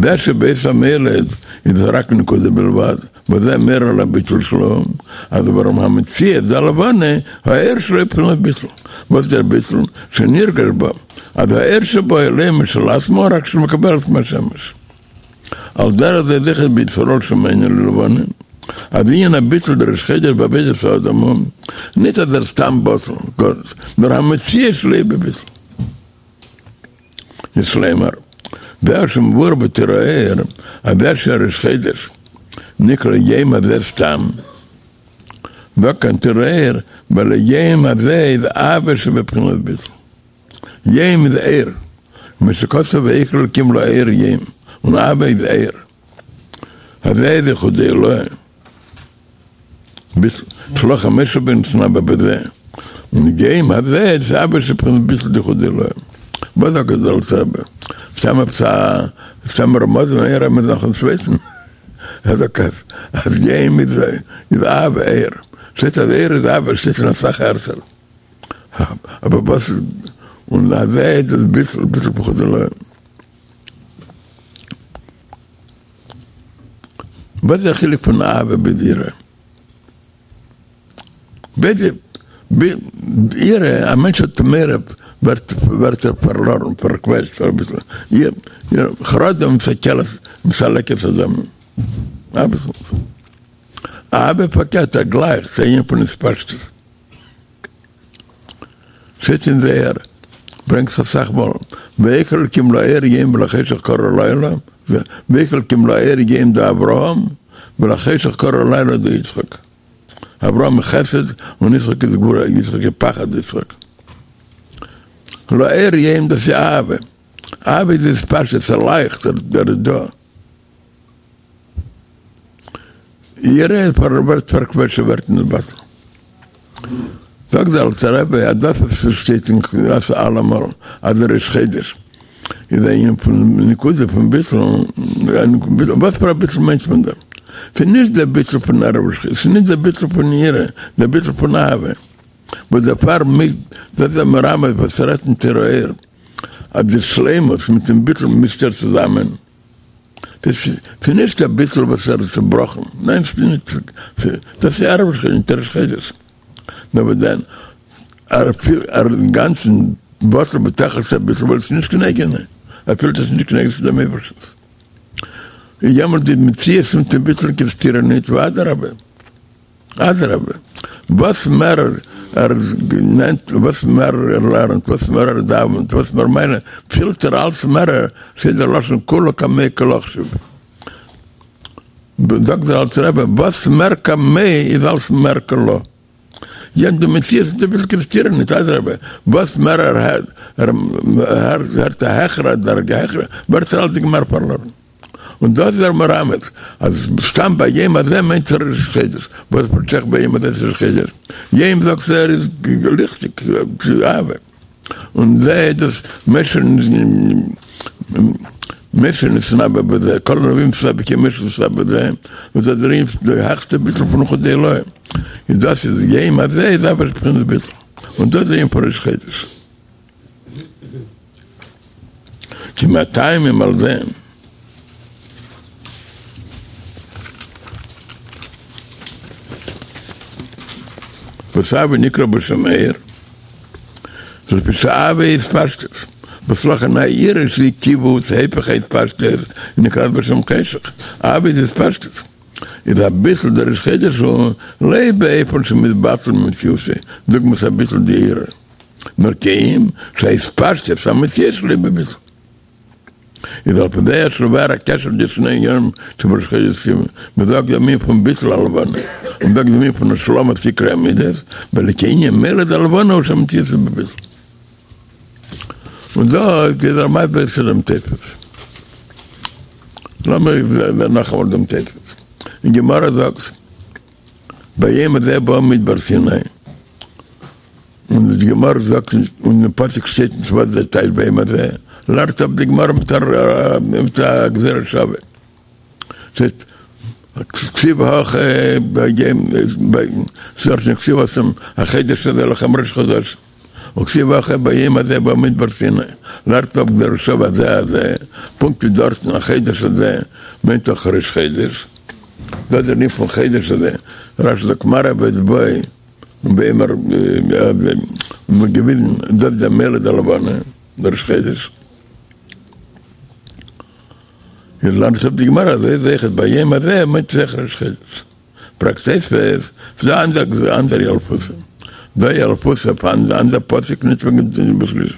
זה שבעת המולד איז רק נקודה בלבד, וזה מאיר על הביטול שלו, אז ווארום המציאות דהלבנה, האור שלו בחינת ביטול. וואס איז דער ביטול? שנרגש בו, אז האור שבו אינו משל עצמו רק שמקבלת מהשמש. על דרך זה איז אויכעט בישראל שאינם לבנה, אז ענין הביטול דראש חודש בעבודת האדם הוא, ניט אז ער סתם בטל, גארנישט, נאר המציאות שלו איז בביטול. יש לומר, זה שמבואר בתורה אור, אז זה שראש חודש נקרא יום הזה סתם, זאגט כאן תורה אור, ווייל יום הזה איז אהבה שבבחינת ביטול. יום איז אור, כמו שכתוב ויקרא אלקים לאור יום, און אהבה איז אור. הזה איז יחודא עילאה. ביטול, שלא חמשה בנתנבא בזה. און יום הזה איז אהבה שבבחינת ביטול דיחודא עילאה. וואס זאגט דער אלטער רבי? סתם עפעס א סתם רמז און איין רמז נאכן צווייטן? ער זאגט אז אז יום איז איז אהבה אור. שטייט אז אור איז אהבה שטייט אין אסאך ערטער. אבער וואס און הזה איז דאס ביטול ביטול יחודא עילאה. וואס איז דער חילוק פון אהבה ביז יראה? ביידע יראה, א מענטש האט מורא ווערט ווערט ער פארלארן, פארקוועטשט אביסל, חרדה מסכלת מסלקת אדם, אביסל. אהבה פארקערט ער גלייכט, ס'איז א ענין פון התפשטות. שטייט אין זוהר, ברענגט זיך אסאך מאל, ויקרא אלקים לאור יום ולחשך קרא לילה, ויקרא אלקים לאור יום דאברהם, ולחשך קרא לילה דיצחק. אברהם איז חסד און יצחק איז גבורה, יצחק איז פחד יצחק. לאור יום דאס איז אהבה, אהבה איז התפשטות, ס'לייכט, ער איז דא. יראה ווערט פארקוועטשט ווערט נתבטל. זאגט דער אלטער רבי אז דאס וואס עס שטייט אין חסידות אלעמאל אז דער ראש חודש איז א ענין פון נקודה פון ביטול, וואס פאר א ביטול מיינט מען דא? ס'איז נישט דער ביטול פון ערב ראש חודש, ס'איז נישט דער ביטול פון יראה, דער ביטול פון אהבה. וואס דערפאר מיט דאס דער מרמז וואס רעדט אין תורה אור אז די שלימות מיטן ביטול מוזט ער צוזאמען. ס'איז נישט א ביטול וואס ער איז צובראכן, ניין ס'איז נישט, דאס איז ערב ראש חודש, נישט ראש חודש. נאר וואס דען, ער פילט ער איז אינגאנצן בטל בתכלית הביטול ווייל עס איז נישט קיין אייגענע, ער פילט עס איז נישט קיין אייגענס פון דעם אייבערשטנס. איז יעמאלט די מציאות מיטן ביטול קיין סתירה ניט, ואדרבה. אדרבה, וואס מער ער נעמט, וואס מער ער לערנט, וואס מער ער דאווענט, וואס מער מיינע, פילט ער אלץ מער, ס'איז דער לשון כולא קמיה כלא חשיב. זאגט דער אלטער רבי, וואס מער קמיה איז אלץ מער כלא. יענץ די מציאות איז אביסל קיין סתירה נישט, אדרבה, וואס מער ער הערט, ער הערט א העכערע דרגה, העכערע, ווערט ער אלץ מער פארלארן. און דאס איז ער מרמז אז סתם ביום הזה מיינט ער ראש חודש, וואס פארשטייט זיך ביום הזה איז ראש חודש, יום זאגט ער איז ליכטיג, אהבה, און זה דאס משה משה נתנבא בזה, כל הנביאים נתנבאו כמשה נתנבא בזה, וואס דאס איז די העכסטע ביטול פון יחודא עילאה, איז דאס איז יום הזה איז אויך בחינת ביטול, און דאס איז ענין פון ראש חודש. כי מהטעמים על זה. וואס אהבה נקרא בשם אור, לפי שאהבה היא התפשטות, וואס לכן היראה שהיא כיווץ היפך ההתפשטות נקראת בשם חשך, אהבה איז התפשטות, איז הביטול דראש חודש הוא לא באופן שמתבטל ממציאותו, דוגמת הביטול דיראה. נאר כי אם שהתפשטות המציאות שלו בביטול. איז על פי זה יש לבאר הקשר די שני עניינים שבראש חודש סיוון, מ'זאגט דעם ענין פון ביטול הלבנה, און מ'זאגט דעם ענין פון השלמת עיקרי המידות, ווייל כי ענין מולד הלבנה הוא שהמציאות איז בביטול. און דא איז ער מסביר צו דעם תוספות. לאמיר זען נאכאמאל דעם תוספות. אין גמרא זאגט ביום הזה באו מדבר סיני. און די גמרא זאגט און אין פסוק שטייט נישט וואס דער טייטש ביום הזה, לערנט אפ די גמרא מיט א גזירה שווה. שטייט כתיב הכא ביום ס'דארט נישט כתיב התם החודש הזה לכם ראש חדשים וכתיב הכא ביום הזה באו מדבר סיני, לערנט אפ גזירה שווה הזה הזה, פונקט ווי דארטן החודש הזה מיינט אויך ראש חודש, דאס איז דער ענין פון חודש הזה, רש"י זאגט מראה באצבעו. און ביום הזה און געוויזן דאס דער מולד הלבנה דער ראש חודש איז לערנט אפ די גמרא אזוי איז אויכעט ביום הזה מיינט עס אויך ראש חודש פרעגט תוספות ס'דא אנדערע אנדערע ילפותא דא ילפותא אויף אנדער פסוק נישט וועגן בשלישי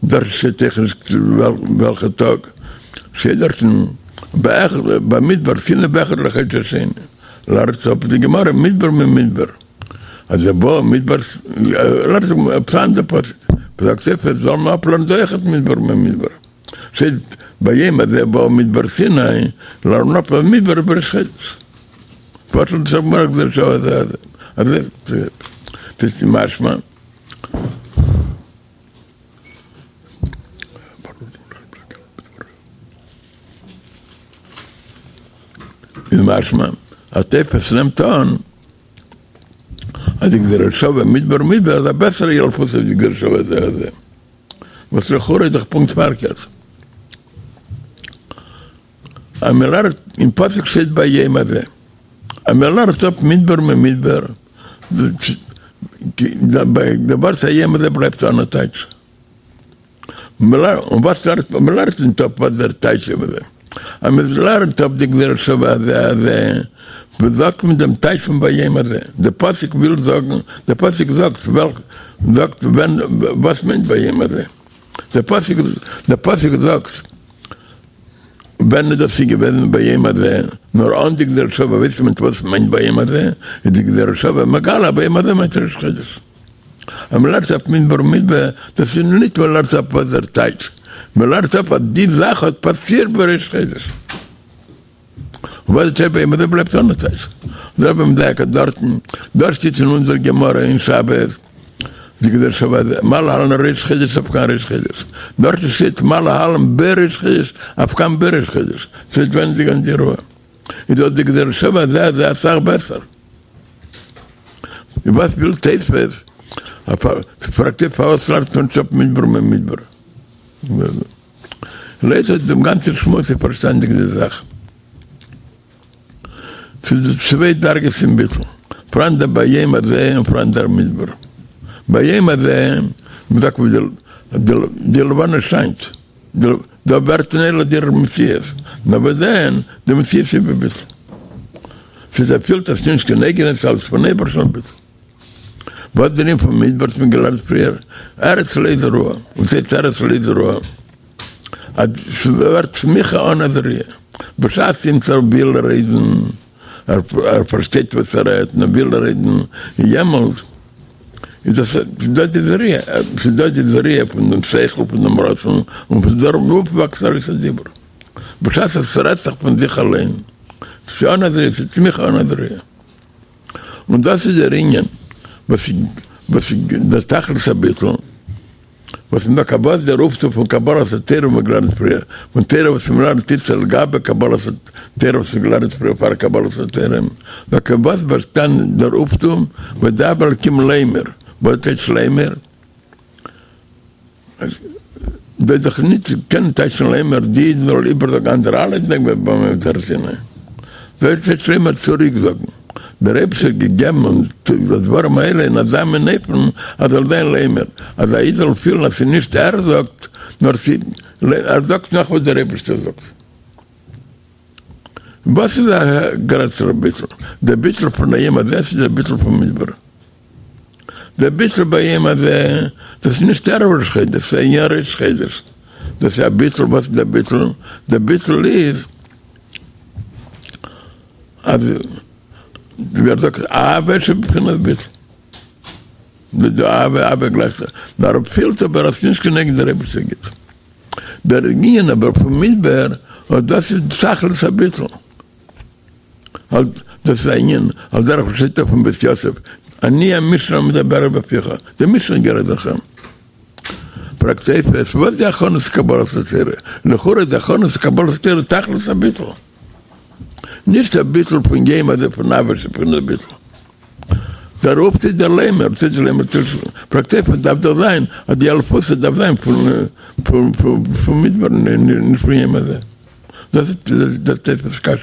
דארט שטייט אויך נישט וועלכע טאג שטייט דארטן במדבר סיני באחד לחודש השני לערנט אפ די גמרא מדבר ממדבר אז דער באו מדבר לערנט אפ אן אנדער פסוק זאגט תוספות זאל מען אפלערנען דא אויכעט מדבר ממדבר שטייט ביום הזה באו מדבר סיני לערנען אפ אז מדבר איז בראש חודש פארט דאס גמרא גזירה שוה הזה הזה אז ס'איז משמע איז משמע אז תוספות נעמט אן אז די גזירה שווה מדבר מדבר איז א בעסערע ילפותא ווי די גזירה שווה זה הזה, וואס לכאורה איז דאך פונקט פארקערט. אז מען לערנט אין פסוק שטייט ביום הזה אז מען לערנט אפ מדבר ממדבר, די ווארט היום הזה בלייבט אן א טייטש. און וואס לערנט מען? מען לערנט נישט אפ וואס דער טייטש איז. אז מען לערנט אפ די גזירה שווה הזה הזה, וואס זאגט מען דעם טייטש פון ביום הזה? דער פסוק וויל זאגן, דער פסוק זאגט וועלכ, זאגט ווען, וואס מיינט ביום הזה? דער פסוק, דער פסוק זאגט ווען איז דאס איז געוועזן ביום הזה, נאר אן די גזירה שווה ווייסט מען נישט וואס מיינט ביום הזה, איז די גזירה שווה מגלה ביום הזה מיינט ראש חודש. אז מען לערנט אפ מדבר ממדבר, דאס איז נישט מען לערנט אפ וואס דער טייטש, מען לערנט אפ אז די זאך האט פאסירט בראש חודש. און וואס דער טייטש ביום הזה בלייבט אן א טייטש. דער רבי מדייק אז דארטן, דארט שטייט אין אונזער גמרא אין שבת, די גזירה שווה מה להלן ראש חודש אף כאן ראש חודש, דארט שטייט מה להלן בראש חודש אף כאן בראש חודש, ס'ווענדט זיך אין די אירוע. איז דאך די גזירה שווה הזה הזה אסאך בעסער. און וואס וויל תוספות? פרעגט ער פארוואס לערנט מען נישט אפ מדבר ממדבר? לויט דעם גאנצן שמועס איז פארשטאנדיג די זאך. ס'איז דא צוויי דרגות אין ביטול, פאראן דער ביום הזה און פאראן דער מדבר. ביום הזה, מ'זאגט ווי די לבנה שיינט, דא ווערט נולד דער מציאות, נאר וואס דען, די מציאות איז בביטול. ס'איז ער פילט אז ס'נישט קיין אייגענע, ס'איז אלעס פון אייבערשטן ביטול. וואס דער ענין פון מדבר האט מען געלערנט פריער, ארץ לא זרועה, וואס הייסט ארץ לא זרועה? אז ס'ווערט צמיחה אן א זריעה, בשעת אימיצער וויל רעדן, ער פארשטייט וואס ער רעדט, און ער וויל רעדן, יעמאלט איז דאס דא די זריעה, ס'איז דא די זריעה פון דעם שכל, פון דעם רצון, און פון דערויף וואקסט ארויס א דיבור. בשעת עס רעדט זיך פון זיך אליין, ס'איז אן א זריעה, ס'איז צמיחה אן א זריעה. און דאס איז דער ענין וואס וואס דער תכלית הביטול, וואס איז דאך וואס דער אויפטו פון קבלת התורה וואס מ'האט געלערנט פריער, פון תורה וואס מ'לערנט איצטער לגבי קבלת התורה וואס מ'האט געלערנט פריער פאר קבלת התורה, דוקא וואס באשטאנען דער אויפטו וידבר אלקים לאמר, וואס טייטש לאמר? וועט דאך ניט קענען טייטשן לאמר די אידן זאלן איבערזאגן אנדערע אלע אידן זאגן ביי הר סיני וועט טייטש לאמר צוריק זאגן דער אייבערשטער האט געגעבן אונז די דברים האלה אין אזא מין אופן אז זאל זיין לאמר אז א איד זאל פילן אז ס'איז נישט ער זאגט נאר ער זאגט נאך וואס דער אייבערשטער זאגט. וואס איז א גרעסערע ביטול? דער ביטול פון היום הזה צו דער ביטול פון מדבר? דער ביטול ביום הזה, דאס איז נישט ערב ראש חודש, דאס איז אין ראש חודש. דאס איז א ביטול, וואס איז דער ביטול? דער ביטול איז אז ווי ער זאגט אהבה שבבחינת ביטול. די אהבה, אהבה גלייך, נאר ער פילט אבער אז ס'איז נישט כנגד דער אייבערשטער גיט. דער ענין אבער פון מדבר, אט דאס איז תכלית הביטול. דאס איז א ענין על דרך וואס שטייט אויפן בית יוסף, אני המשנה המדברת בפיך, די משנה גערעדט דורך אים. פרעגט תוספות, וואס די הכנות קבלת התורה? לכאורה די הכנות קבלת התורה תכלית הביטול. נישט א ביטול פון יום הזה פון אהבה שבבחינת ביטול. דער אויפטו איז דער לאמר, טוט לאמר פרעגט תוספות דארף דאך זיין אז די אלפותא דארף זיין פון פון מדבר נישט פון יום הזה. דאס איז דער תוספות קשיא.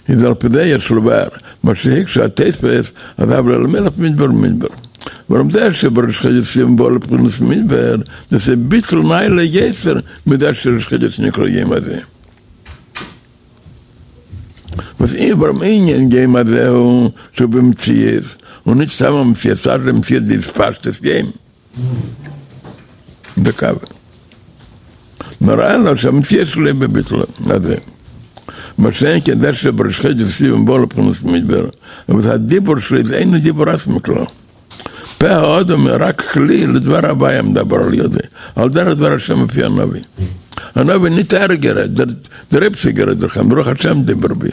איז על פי זה יש לבאר מה שהקשו התוספות אז הב ל למלך מדבר מדבר. ווארום זה שבראש חודש סיוון בא לבחינת מדבר דאס איז ביטול נעלה יותר מזה שראש חודש נקרא יום הזה. וואס איז ווארום ענין יום הזה הוא שהוא במציאות, און נישט סתם א מציאות, ס'איז א מציאות דהתפשטות יום דקאווע. נאר אלא שהמציאות שלו בביטול הזה. מה שאין כן זה שבראש חודש סיוון בא לבחינת מדבר, אבל הדיבור שלו איז אינו דיבור עצמי כלל. פה האדם רק כלי לדבר הוויה המדבר על ידו, על דרך דבר השם מפי הנביא. הנביא ניט ער גערעדט, דער אייבערשטער גערעדט דורך אים, רוח השם דיבר בי.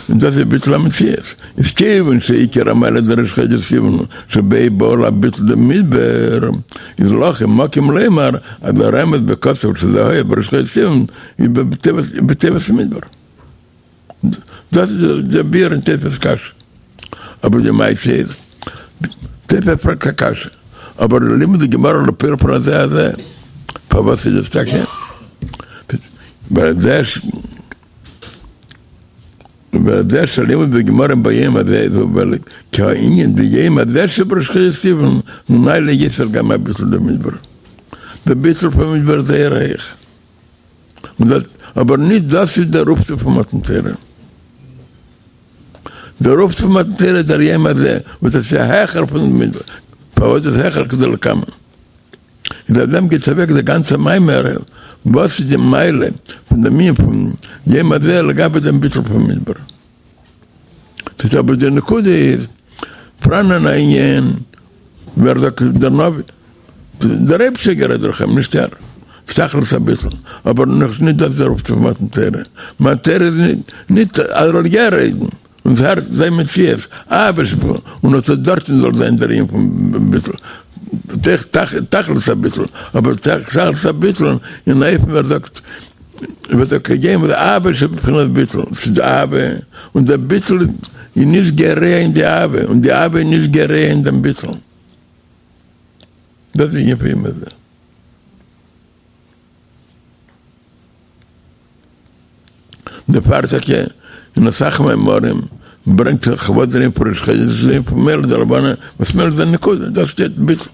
און דאס איז ביטול המציאות. איז כיוון שעיקר המעלה דראש חודש סיוון שבו בא הביטול דמדבר, איז לכן מקום לומר אז הרמז בכתוב שזה היה בראש חודש סיוון איז בטבת מדבר. דאס איז דער ביאור אין תוספות קשיא. אבער די מעשה איז, תוספות פרעגט א קשיא, אבער די לימוד הגמרא לפועל פון הזה הזה, פארוואס איז עס טאקע? ווייל דאס ווייל דער שלימוד בגמרא ביום הזה איז ווייל כי הענין ביום הזה שבראש חודש סיוון הוא נעלה יותר גם מהביטול דמדבר. דער ביטול פון מדבר איז זייער הויך. און דאס, אבער נישט דאס איז דער אויפטו פון מתן תורה. דער אויפטו פון מתן תורה איז דער יום הזה, וואס דאס איז העכער פון מדבר. פארוואס איז העכער כדלקמן? איז אויף דעם גייט אוועק דער גאנצער מאמר, וואס איז די מעלה פון דעם ענין פון יום הזה לגבי דעם ביטול פון מדבר. ס'איז אבער די נקודה איז, פאראן אן ענין ווער זאגט דער נביא, דער אייבערשטער גערעדט דורך אים, נישט ער, תכלית הביטול, אבער נאך נישט דאס דער אויפטו פון מתן תורה, מתן תורה איז נישט אז ער זאל יא רעדן. און ס'הערט זיין מציאות, אהבה שבו, און אט דארטן זאל זיין דער ענין פון ביטול, תכלית הביטול, אבער תכלית הביטול אין אופן ווי ער זאגט, וועט ער קעגן וואס אהבה שבבחינת ביטול, ס'איז די אהבה, און דער ביטול איז נישט גורע אין די אהבה, און די אהבה איז נישט גורע אין דעם ביטול. דאס איז ענין פון יום הזה. דערפאר טאקע אין אסאך מאמרים ברענגט זיך וואס דער ענין פון ראש חודש איז ענין פון מולד הלבנה וואס מולד איז א נקודה דארט שטייט ביטול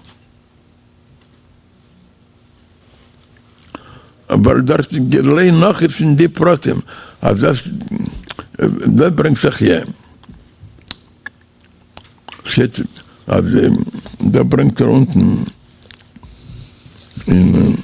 אבער דארט גילוי נאך איז אין די פרטים אז דאס דאס ברענגט זיך יא שטייט אז דא ברענגט ער אונטן אין.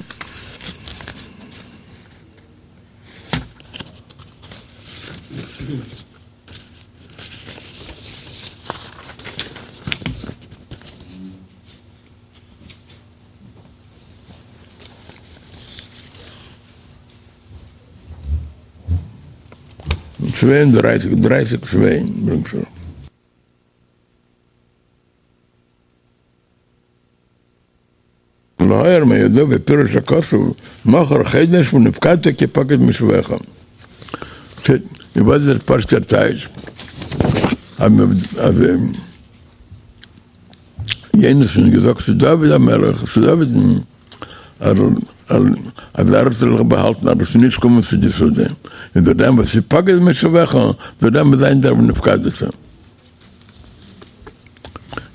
צוויי און דרייסיג, דרייסיג צוויי ברענגט ער. להעיר מהידוע בפירוש הכתוב מחר חדש ונפקדת כי פקד משבועך. וואס איז דער פשוט'ער טייטש? אז יונתן האט געזאגט צו דוד המלך, צו דוד'ן, אז ער זאל זיך באהאלטן אז עס זאל נישט קומען צו די סעודה, און דורך דעם וואס הפקד משבועך, דורך דעם וועט זיין דער ונפקדת.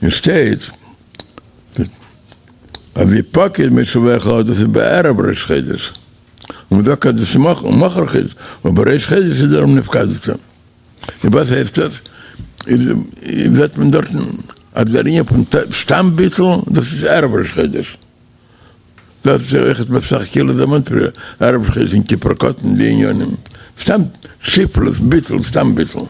און שטייט אז הפקד מושבך דאס איז בערב ראש חודש, און מ'זאגט אז דאס איז מחר חודש, אבער ראש חודש איז דער ונפקדת. און וואס הייסט דאס? איז זעט מען דארטן אז דער ענין פון סתם ביטול דאס איז ערב ראש חודש, דאס איז אויכעט בסך כאילו דערמאנט פריער, ערב ראש חודש יום כיפור קטן די ענינים, סתם שפלות ביטול סתם ביטול.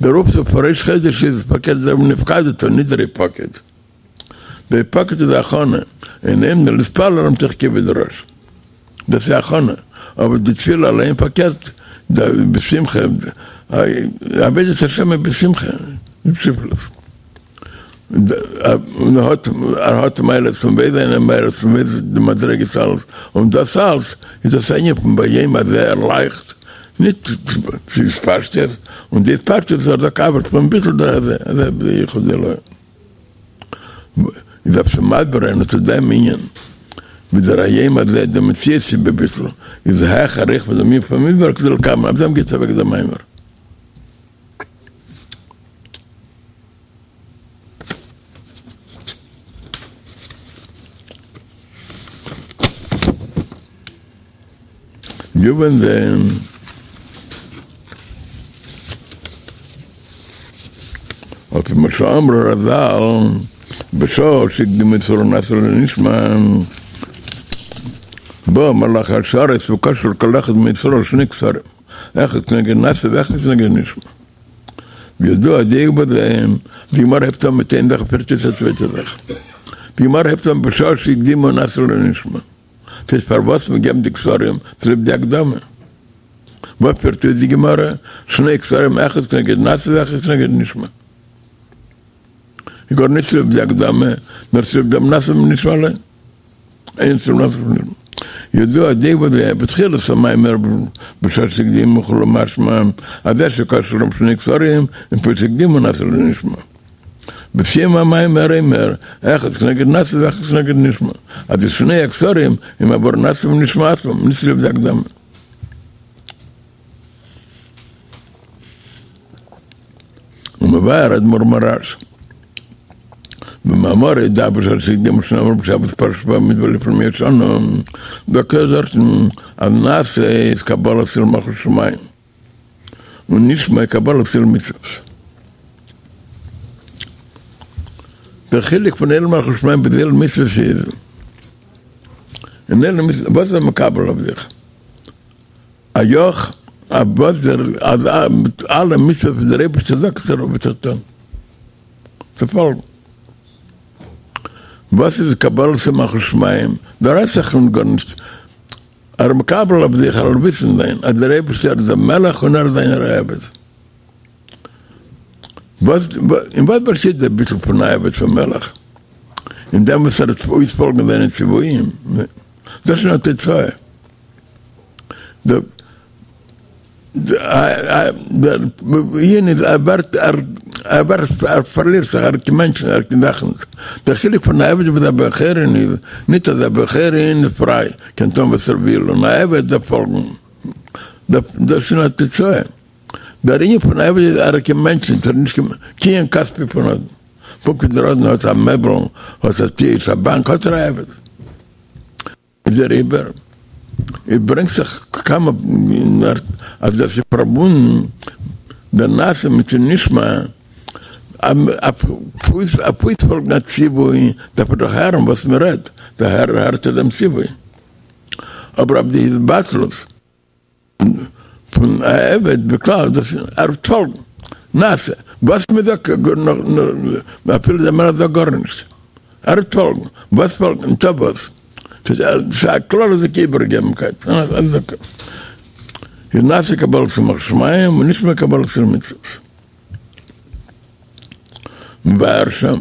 דער אויפטו פון ראש חודש איז פארקערט דער ונפקדת ניט דער הפקד. דער הפקד איז א הכנה, אין עומדין להתפלל אלא מתוך כובד ראש. דאס איז א הכנה, אבער די תפילה אליין פארקערט בשמחה, עבודת השם איז בשמחה, נישט בשפלות. און ער האט ער האט מעלות פון וואו זיינע מעלות פון וואו די מדריגות אלעס, און דאס אלס איז דאס ענין פון ביום הזה ער לייכט ניט צו התפשטות, און די התפשטות איז דאך אבער פון ביטול דער הזה, הזה ביחוד אלוה. איז דארף צו מסביר זיין אט דעם ענין, ווי דער היום הזה די מציאות שבביטול איז העכער אויך פון דעם ענין פון במדבר כדלקמן, אויף דעם גייט אוועק דער מאמר. יובן זה על פי מה שאמרו רז"ל בשעה שהקדימו ישראל נעשה לנשמע בא מלאך השרת וקשר כל אחד מישראל שני קשרים אחד כנגד נעשה ואחד כנגד נשמע וידוע הדיוק בזה, די גמרא הייבט אן מיט איין זאך פירט אויס א צווייטע זאך. די גמרא הייבט אן בשעה שהקדימו נעשה לנשמע. ס'הייסט פארוואס מען געבן די קשרים צוליב די הקדמה. וואס פירט אויס די גמרא? שני קשרים אחד כנגד נעשה ואחד כנגד נשמע. איז גארנישט צוליב די הקדמה, נאר צוליב דעם נעשה ונשמע אליין. אין צום נעשה ונשמע. ידוע הדיוק בזה בתחילת המאמר בשעה שהקדימו וכו' משמע אז זה שקשרו להם שני קשרים מפני שהקדימו נעשה לנשמע. בסיום המאמר אומר אחד כנגד נעשה ואחד כנגד נשמע אז די שני הקשרים הם עבור נעשה ונשמע עצמם נישט צוליב די הקדמה. ומבאר אדמו"ר מהר"ש במאמרו דא בשעה שהקדימו שנאמר בשבת פרשת במדבר לפני מאות שנה זאגט ער דארטן אז נעשה איז קבלת עול מלכות שמים און נשמע קבלת עול מצוות. דער חילוק פון עול מלכות שמים ביז עול מצוות איז אין עול מצוות וואס איז ער מקבל אויף זיך? א יאך אז וואס דער אז אלע מצוות וואס דער אייבערשטער זאגט ער וועט ער טון צו פאלגן. וואס איז קבלת עול מלכות שמים? דא רעדט זיך נישט גארנישט, ער איז מקבל אויף זיך ער זאל וויסן זיין אז דער אייבערשטער איז דער מלך און ער איז זיינער א עבד. וואס, אין וואס באשטייט דער ביטול פון א עבד צום מלך? אין דעם וואס ער וועט אויספאלגן זיינע ציוויים? דאס איז א תוצאה. דער ענין איז ער ווערט, ער ווערט, ער פארלירט זיך, ער איז קיין מענטש נישט, ער איז קיין זאך נישט. דער חילוק פון א עבד ביז א בן חורין איז נישט אז א בן חורין איז פריי, קען טון וואס ער וויל, און א עבד דארף פאלגן. דאס איז א תוצאה. דער ענין פון עבד איז ער איז קיין מענטש נישט, ער איז נישט קיין קנין כספי פון אדון. פונקט ווי דער אדון האט א מעבל, האט א טיש, א באנק, האט ער א עבד. איז דעריבער עס ברענגט זיך כמה אז דאס איז פארבונדן דער נעשה מיטן נשמע, אויף אויספאלגן א ציווי דארף ער דאך הערן וואס מען רעדט, דערהער הערט ער דעם ציווי, אבער אויף די התבטלות פון א עבד בכלל דאס ער וועט פאלגן נעשה וואס מען זאגט אפילו דער מלך זאגט גארנישט ער וועט פאלגן וואס פאלגן און טא וואס ס'איז א כללות'דיגע איבערגעבנקייט איז נעשה קבלת עול מלכות שמים און נשמע קבלת עול מצוות מבאר שם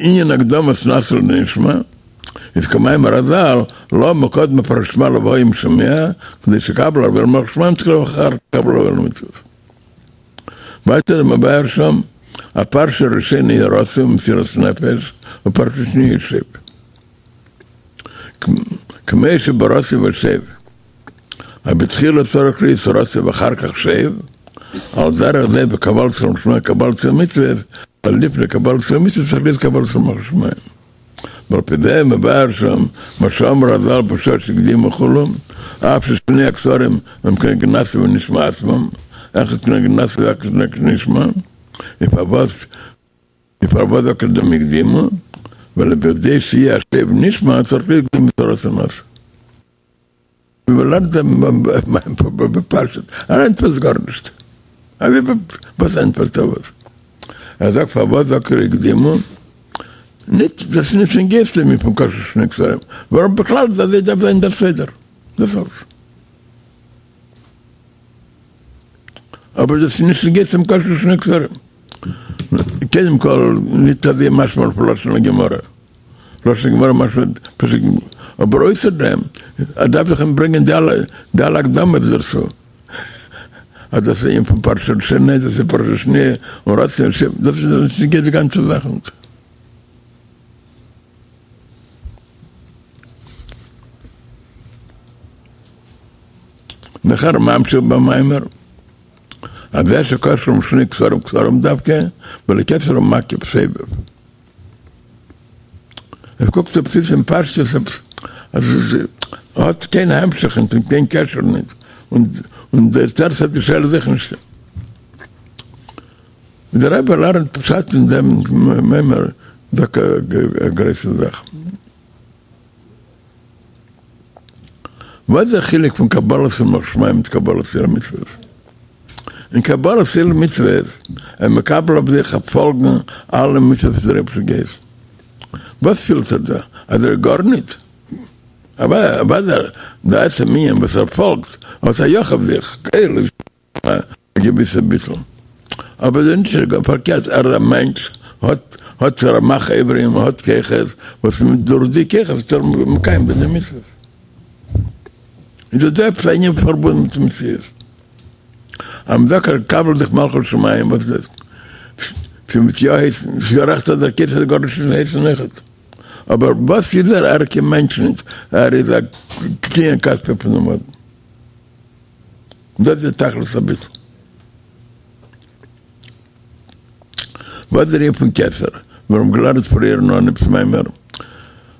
ענין הקדמת נעשה לנשמע איז כמאמר רז"ל, למה קדמה פרשת שמע לוהיה אם שמוע, כדי שיקבל עליו עול מלכות שמים תחילה ואחר כך יקבל עליו עול מצוות. ווייטער איז מבאר שם, א פרשה ראשונה איז רצוא ומסירת נפש, ופרשה שניה איז שב. כמו שברצוא ושב, אז בתחילה צריך להיות רצוא ואחר כך שב, על דרך זה בקבלת עול שמים קבלת עול מצוות, אז לפני קבלת עול מצוות צריך להיות קבלת עול מלכות שמים. ועל פי זה מבאר שם מה שאמרו רז"ל בשעה שהקדימו כו', אף ששני הכתרים הם כנגד נעשה ונשמע עצמם, אחד כנגד נעשה ואחד כנגד נשמע, און פארוואס און פארוואס זאגט ער דעם הקדימו, ווייל בכדי שיהיה השב נשמע צריך להיות קדימות הרצוא לנעשה. ווי מען לערנט בפשטות, ער ענטפערט גארנישט, וואס ענטפערט ער וואס? ער זאגט פארוואס זאגט ער הקדימו, נישט דאס איז נישט נוגע צו מיר פון קשר שני כתרים, ווארום בכלל איז אזוי דארף זיין דער סדר, דאס אלס. אבער דאס איז נישט נוגע צום קשר שני כתרים. קודם כל, נישט אזוי משמע פון לשון הגמרא. לשון הגמרא משמע פשוט, אבער אויסער דעם, ער דארף דאך אים ברענגען די אלע די אלע הקדמות דערצו, אז דאס איז ענין פון פרשה ראשונה, דאס איז פרשה שניה, און רצוא ושב, דאס איז נישט נוגע די גאנצע זאך. נאכער ממשיך במאמר, אז זה שקשרום שני כתרים כתרים דווקא, ווייל כתר ומקיף סובב. עס קוקט אויס אין פשטות אז עס האט קיין המשך און קיין קשר נישט, און דער תירוץ אויף די שאלה זיכער נישט. דער רבי לערנט פשט אין דעם מאמר דוקא א גרויסע זאך. וואס איז דער חילוק פון קבלת עול מלכות שמים מיט קבלת עול מצוות? אין קבלת עול מצוות איז מקבל אויף זיך אויף פאלגן אלע מצוות וואס דער אייבערשטער געהייסן. וואס פילט ער דא? אז ער איז גארניט? אוודאי דער עצם ענין וואס ער פאלגט האט א יאך אויף זיך, עול איז א געוויסע ביטול. אבער דער נישט איז פארקערט, ער איז א מענטש, האט האט רמ"ח איברים, האט כוחות, וואס דורך די כוחות איז ער מקיים די מצוות. איז דא דא עפעס א ענין פארבונדן מיט מציאות? אז מ'זאגט ער קבל זיך מלכות שמים, וואס איז דאס? ס'מוז יא הייסן, ס'איז גערעכט אז דער כתר איז גארנישט נישט הייסן אויכעט. אבער וואס איז ער? ער איז קיין מענטש נישט, ער איז א קנין כספי פונעם אדון. דאס איז תכלית הביטול. וואס איז דער ענין פון כתר? מיר האבן געלערנט פריער אין אנהייב מאמר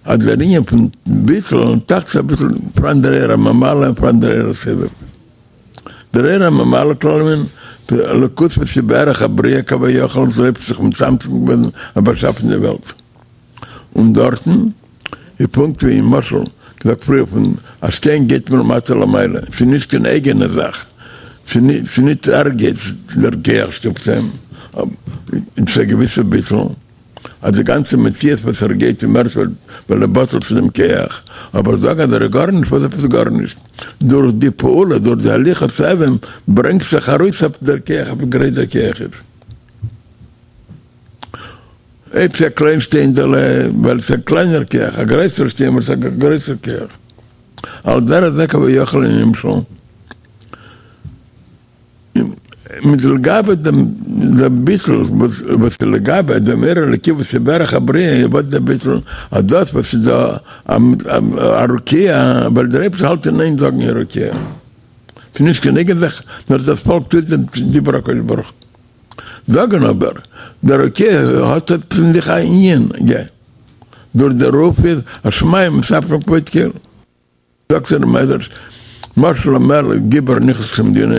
אז דער ענין פון ביטול, תכלית הביטול, פאראן דער אור הממלא און פאראן דער אור הסובב. דער אור הממלא כל עלמין, אלוקות וואס איז בערך הבריאה כביכול, דער אייבערשטער האט זיך מצמצם געווען און באשאפן די וועלט. און דארטן איז פונקט ווי אין משל געזאגט פריער פון א שטיין גייט מלמטה למעלה, ס'איז נישט קיין אייגענע זאך, ס'איז נישט ער גייט, דער כח שטופט אים, ס'איז א געוויסע ביטול. אז די גאנצע מציאות וואס ער גייט אים ערשט ווייל ער בטל צו דעם כח, אבער זאגן אז ער איז גארנישט, וואס עפעס גארנישט? דורך די פעולה, דורך די הליכת אבן ברענגט זיך ארויס אויף דער כח ווי גרויס דער כח איז. אויב ס'איז א קליין שטיינדעלע, ווייל ס'איז א קליינער כח, א גרעסער שטיין ווייל ס'איז א גרעסער כח. על דרך זה כביכול אין נמשל. מיט לגבי דעם דעם ביטול וואס איז לגבי דעם אור אלוקי וואס איז בערך הבריאה וואס דער ביטול אז דאס וואס איז דא א רקיע ווייל דער אייבערשטער האלט אין איין זאגן יהי רקיע ס'איז נישט קיין אייגענע זאך נאר דאס פאלק טוט דעם דיבור הקדוש ברוך הוא זאגן אבער דער רקיע האט אין זיך א ענין דורך דערויף איז השמים מספרים כבוד קל. זאגט דער מדרש, משל למלך גיבור הנכנס למדינה,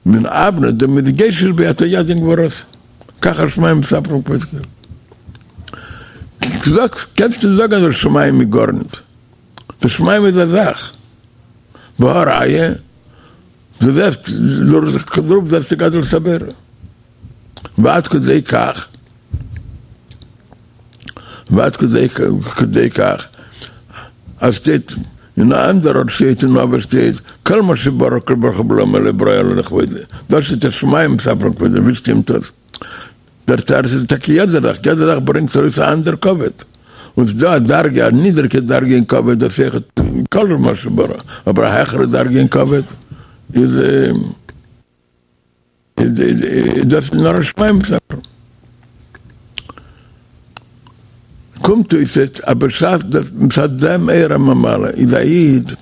מן אבנט דמתגשש ביד היד גבורתו, כך השמים מספרים כבוד קל. זאגסט, קענסט נישט זאגן אז דער שמים איז גארנישט, דער שמים איז א זאך, והא ראיה, דו זעסט דורך דערויף זעסטו גדלות הבורא, ועד כדי כך. ועד כדי כך אז שטייט אין א אנדער ארט שטייט אין אבות שטייט כל מה שברא הקדוש ברוך הוא בעולמו לא ברא אלא לכבודו דאס איז השמים מספרים כבודו ווי שטימט דאס? דער תירוץ איז טאקע יעדע זאך יעדע זאך ברענגט ארויס א אנדער כבוד און ס'דא א דרגה א נידריגע דרגה אין כבוד דאס אויך כל מה שברא אבער א העכערע דרגה אין כבוד איז דאס איז נאר השמים מספרים. קומט אויס אז בשעת דאס מצד דעם אור הממלא איז א איד,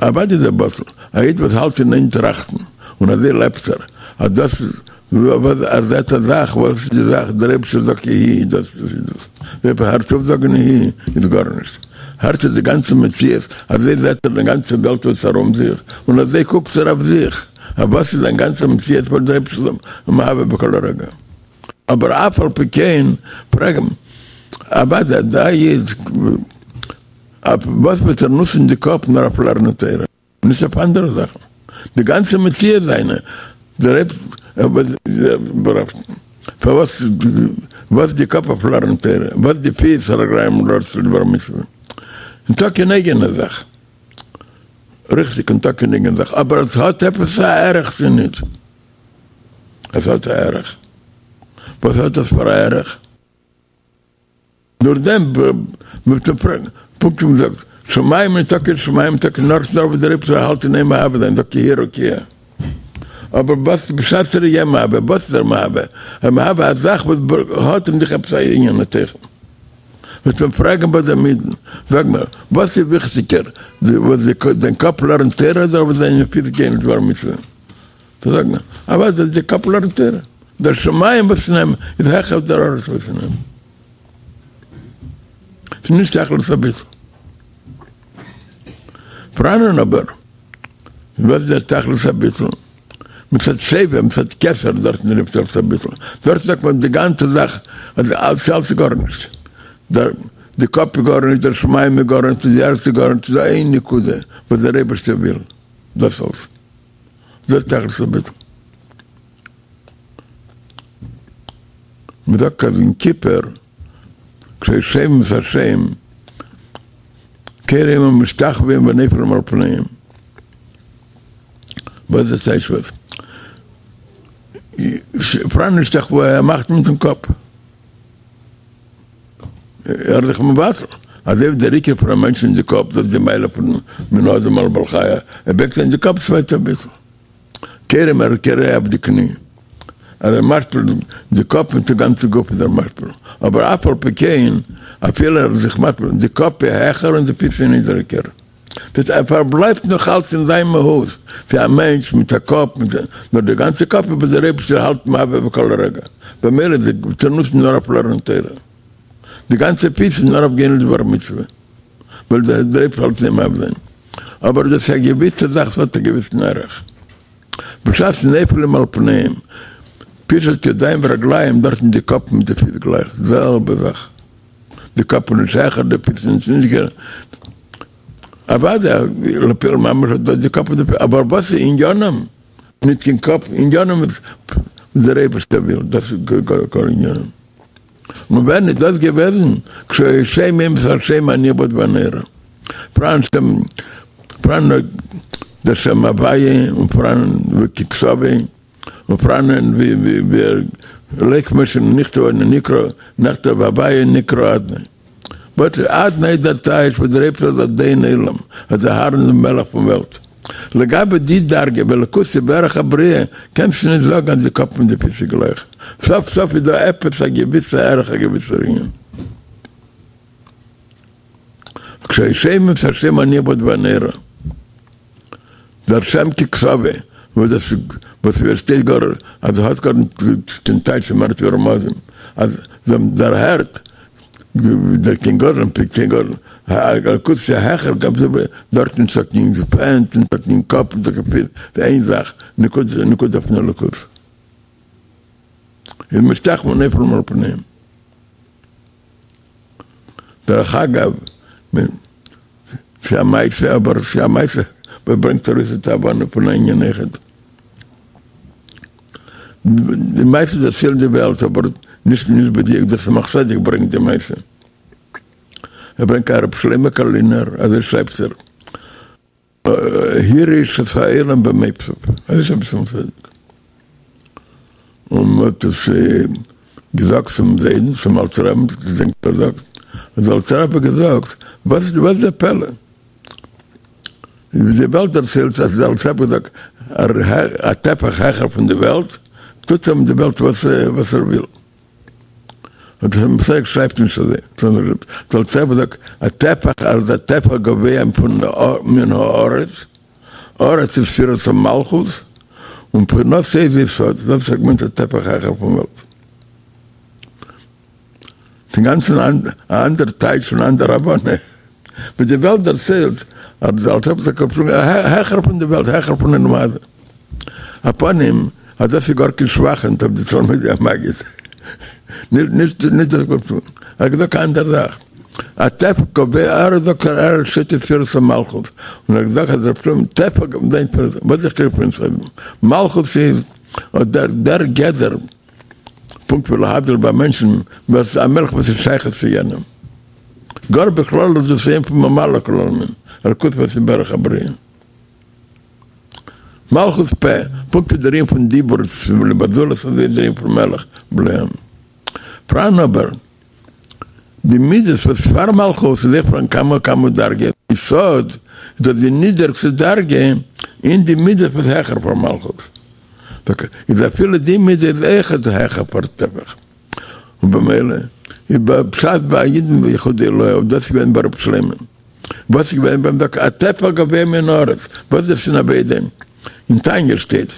אוודאי איז ער בטל, א איד וואס האלט אין איין טראכטן און אזוי לעבט ער, אז דאס וואס ער זעט א זאך, וואס איז די זאך, דער אייבערשטער זאגט יהי, דאס איז דאס, אויב ער הערט אויף זאגן יהי איז גארנישט, הערט ער די גאנצע מציאות, אזוי זעט ער די גאנצע וועלט וואס ארום זיך, און אזוי קוקט ער אויף זיך. אז וואס איז זיין גאנצע מציאות וואס דער אייבערשטער איז מהווה בכל רגע. אבער אף על פי כן פרעג אים אוודאי דער איד אויף וואס וועט ער נוצן די קאפ נאר אויף לערנען תורה נישט אויף אנדערע זאכן די גאנצע מציאות זיינע דער פארוואס וואס די קאפ אויף לערנען תורה וואס די פיס רגליים לרוץ לדבר מצוה און טאקע אן אייגענע זאך. ריכטיג און טאקע אן אייגענע זאך, אבער עס האט עפעס א ערך צו ניט? עס האט א ערך. וואס האט עס פאר א ערך? דורך דעם וועט מען פרעגן, פונקט ווי מ'זאגט, שמים איז טאקע שמים טאקע נאר נאר וואס דער אייבערשטער האלט אין איין מהווה זיין, זאגט יהי רקיע. אבער וואס בשעת ער איז יא מהווה, וואס איז ער מהווה? ער מהווה א זאך וואס האט אין זיך עפעס א ענין א תוכן. וועט מען פרעגן ביי דעם אידן, זאג מיר, וואס איז וויכטיגער, וואס דיין קאפ לערנט תורה אדער וואס דיינע פיס גייען לדבר מצוה? זאג מיר, אוודאי די קאפ לערנט תורה, דער שמים וואס אין אים איז העכער דער ארץ וואס אין אים. ס'איז נישט תכלית הביטול. פאראנען אבער, וואס איז דער תכלית הביטול? מצד סובב, מצד כתר, דארטן איז תכלית הביטול. דארט זאגט מען די גאנצע זאך, אז אלץ אלץ איז גארנישט. דער די קאפ איז גארנישט, דער שמים איז גארנישט, די ערד איז גארנישט, ס'איז דא איין נקודה וואס דער אייבערשטער וויל, דאס אלס. דאס איז תכלית הביטול. מ'זאגט אז אין כיפור, כששומעים את השם, כורעים ומשתחווים ונופלים על פניהם. וואס איז טייטש וואס? פאראן השתחוואה ער מאכט מיטן קאפ. ער איז זיך מבטל. אזוי ווי דער עיקר פון א מענטש אין די קאפ, דאס איז די מעלה פון מן האדם על בעל חי, ער בייגט איין די קאפ צווייטע אביסל. כורעים ער כורע אויף די קני. ער איז משפיל די קאפ מיט די גאנצע גוף איז ער משפיל. אבער אף על פי כן, אפילו ער איז זיך משפיל, די קאפ איז העכער און די פיס איז נידעריגער. דאס ער פארבלייבט נאך אלץ אין זיין מהות ווי א מענטש מיט א קאפ, מיט נאר די גאנצע קאפ איז וואס דער אייבערשטער האלט מהווה בכל רגע, במילא איז די נוצן נאר אויף לערנען תורה, די גאנצע פיס איז נאר אויף גיין לדבר מצוה, ווייל דער אייבערשטער האלט אין מהווה זיין, אבער דאס איז א געוויסע זאך ס'האט א געוויסן ערך, בשעת נופלים על פניהם, פישוט ידיים ורגליים דארטן די קאפ מיט די פיס גלייך, זעלבע זאך. די קאפ איז נישט העכער די פיס איז נישט נידריגער, אוודאי לפועל ממש האט דאס די קאפ און די פיס, אבער וואס איז עניינם? נישט קיין קאפ, עניינם איז וואס דער אייבערשטער וויל, דאס איז כל עניינם. און ווען איז דאס געוועזן? כשהיו שומעים את השם הנכבד והנורא. פראן שם, פראן דער שם הוויה און פראן ככתבו און פראנען ווי ווי לא כמו שנכתב נקרא נכתב הוויה נקרא אדני. באט אדני איז דער טייטש וואס דער אייבערשטער איז אדון עולם, אז דער האר און מלך פון וועלט. לגבי די דרגה ווי אלקות איז בערך הבריאה, קענסטו נישט זאגן אז די קאפ מיט די פיס איז גלייך. סוף סוף איז דא עפעס א געוויסע ערך א געוויסער ענין. כשהיו שומעים את השם הנכבד והנורא, דער שם ככתבו, וואס דאס וואס פארשטייט גאר אז האט גאר קיין טייטש מער ווי רמזים, אז זיי האבן דערהערט דער קיין גדול און קיין גדול, אלקות איז העכער דארט נישטא קיין הענט נישטא קיין קאפ נישטא קיין פיס, ס'איז איין זאך, נקודה נקודה פון אלקות. איז משתחוים ונופלים על פניהם. דרך אגב, ס'איז א מעשה, אבער ס'איז א מעשה וואס ברענגט ארויס די הבנה פון א ענין אחד. די מעשה דערציילט די וועלט, אבער נישט נישט בדיוק דער צמח צדק ברענגט די מעשה. ער ברענגט א רבי שלמה קארלינער, אזוי שרייבט ער, הרעיש את העולם במופתיו, אזוי שרייבט צמח צדק. און מען האט עס געזאגט צום זיידן, צום אלטן רבין, געדענק ער זאגט, האט דער אלטער רבי געזאגט, וואס איז דער פלא? ווי די וועלט דערציילט אז דער אלטער רבי האט געזאגט, א טפח העכער פון די וועלט, טוט אים די וועלט וואס ער וויל. און דער צמח צדק שרייבט נישט אזוי, דער אלטער רבי זאגט, א טפח אז א טפח גבוה פון מן הארץ, ארץ איז ספירת המלכות, און מבחינתו איז יסוד, דאס האט געמיינט א טפח העכער פון וועלט. ס'אינגאנצן א אנדער טייטש און אנדער הבנה. ווי די וועלט דערציילט אז דער אלטער רבי האט געפלויגן העכער פון די וועלט, העכער פון עולם הזה. א פנים אז דאס איז גאר קיין שבח אויף די תלמידי המגיד. נישט נישט דאס גאר ער האט געזאגט א אנדער זאך. א טפח גבוה ער זאגט ער שטייט אין ספירת המלכות און ער האט געזאגט אז ר' שלמה טפח זיין ספירת וואס איז חילוק פון מלכות איז אט דער דער גדר פונקט ווי להבדיל ביי מענטשן וואס א מלך וואס איז שייך צו יענעם גאר בכללות דאס ענין פון ממלא כל עלמין אלקות וואס איז בערך הבריאה. מלכות פה, פונקט ווי דער ענין פון דיבור בזולת אזוי איז דער ענין פון מלך בלעם. פאראן אבער די מידות וואס פאר מלכות איז אויך פאראן כמה וכמה דרגות, יסוד איז דאס די נידעריגסטע דרגה אין די מידות וואס העכער פאר מלכות, איז אפילו די מידה איז אויכעט העכער פאר טפח, ובמילא איז בשעת ביי א אידן יחודא עילאה, און דאס איז געווען ביי ר' שלמה. וואס איז געווען ביי אים דוקא א טפח גבוה מן הארץ, וואס איז דאס אין עבודה? אין תניא שטייט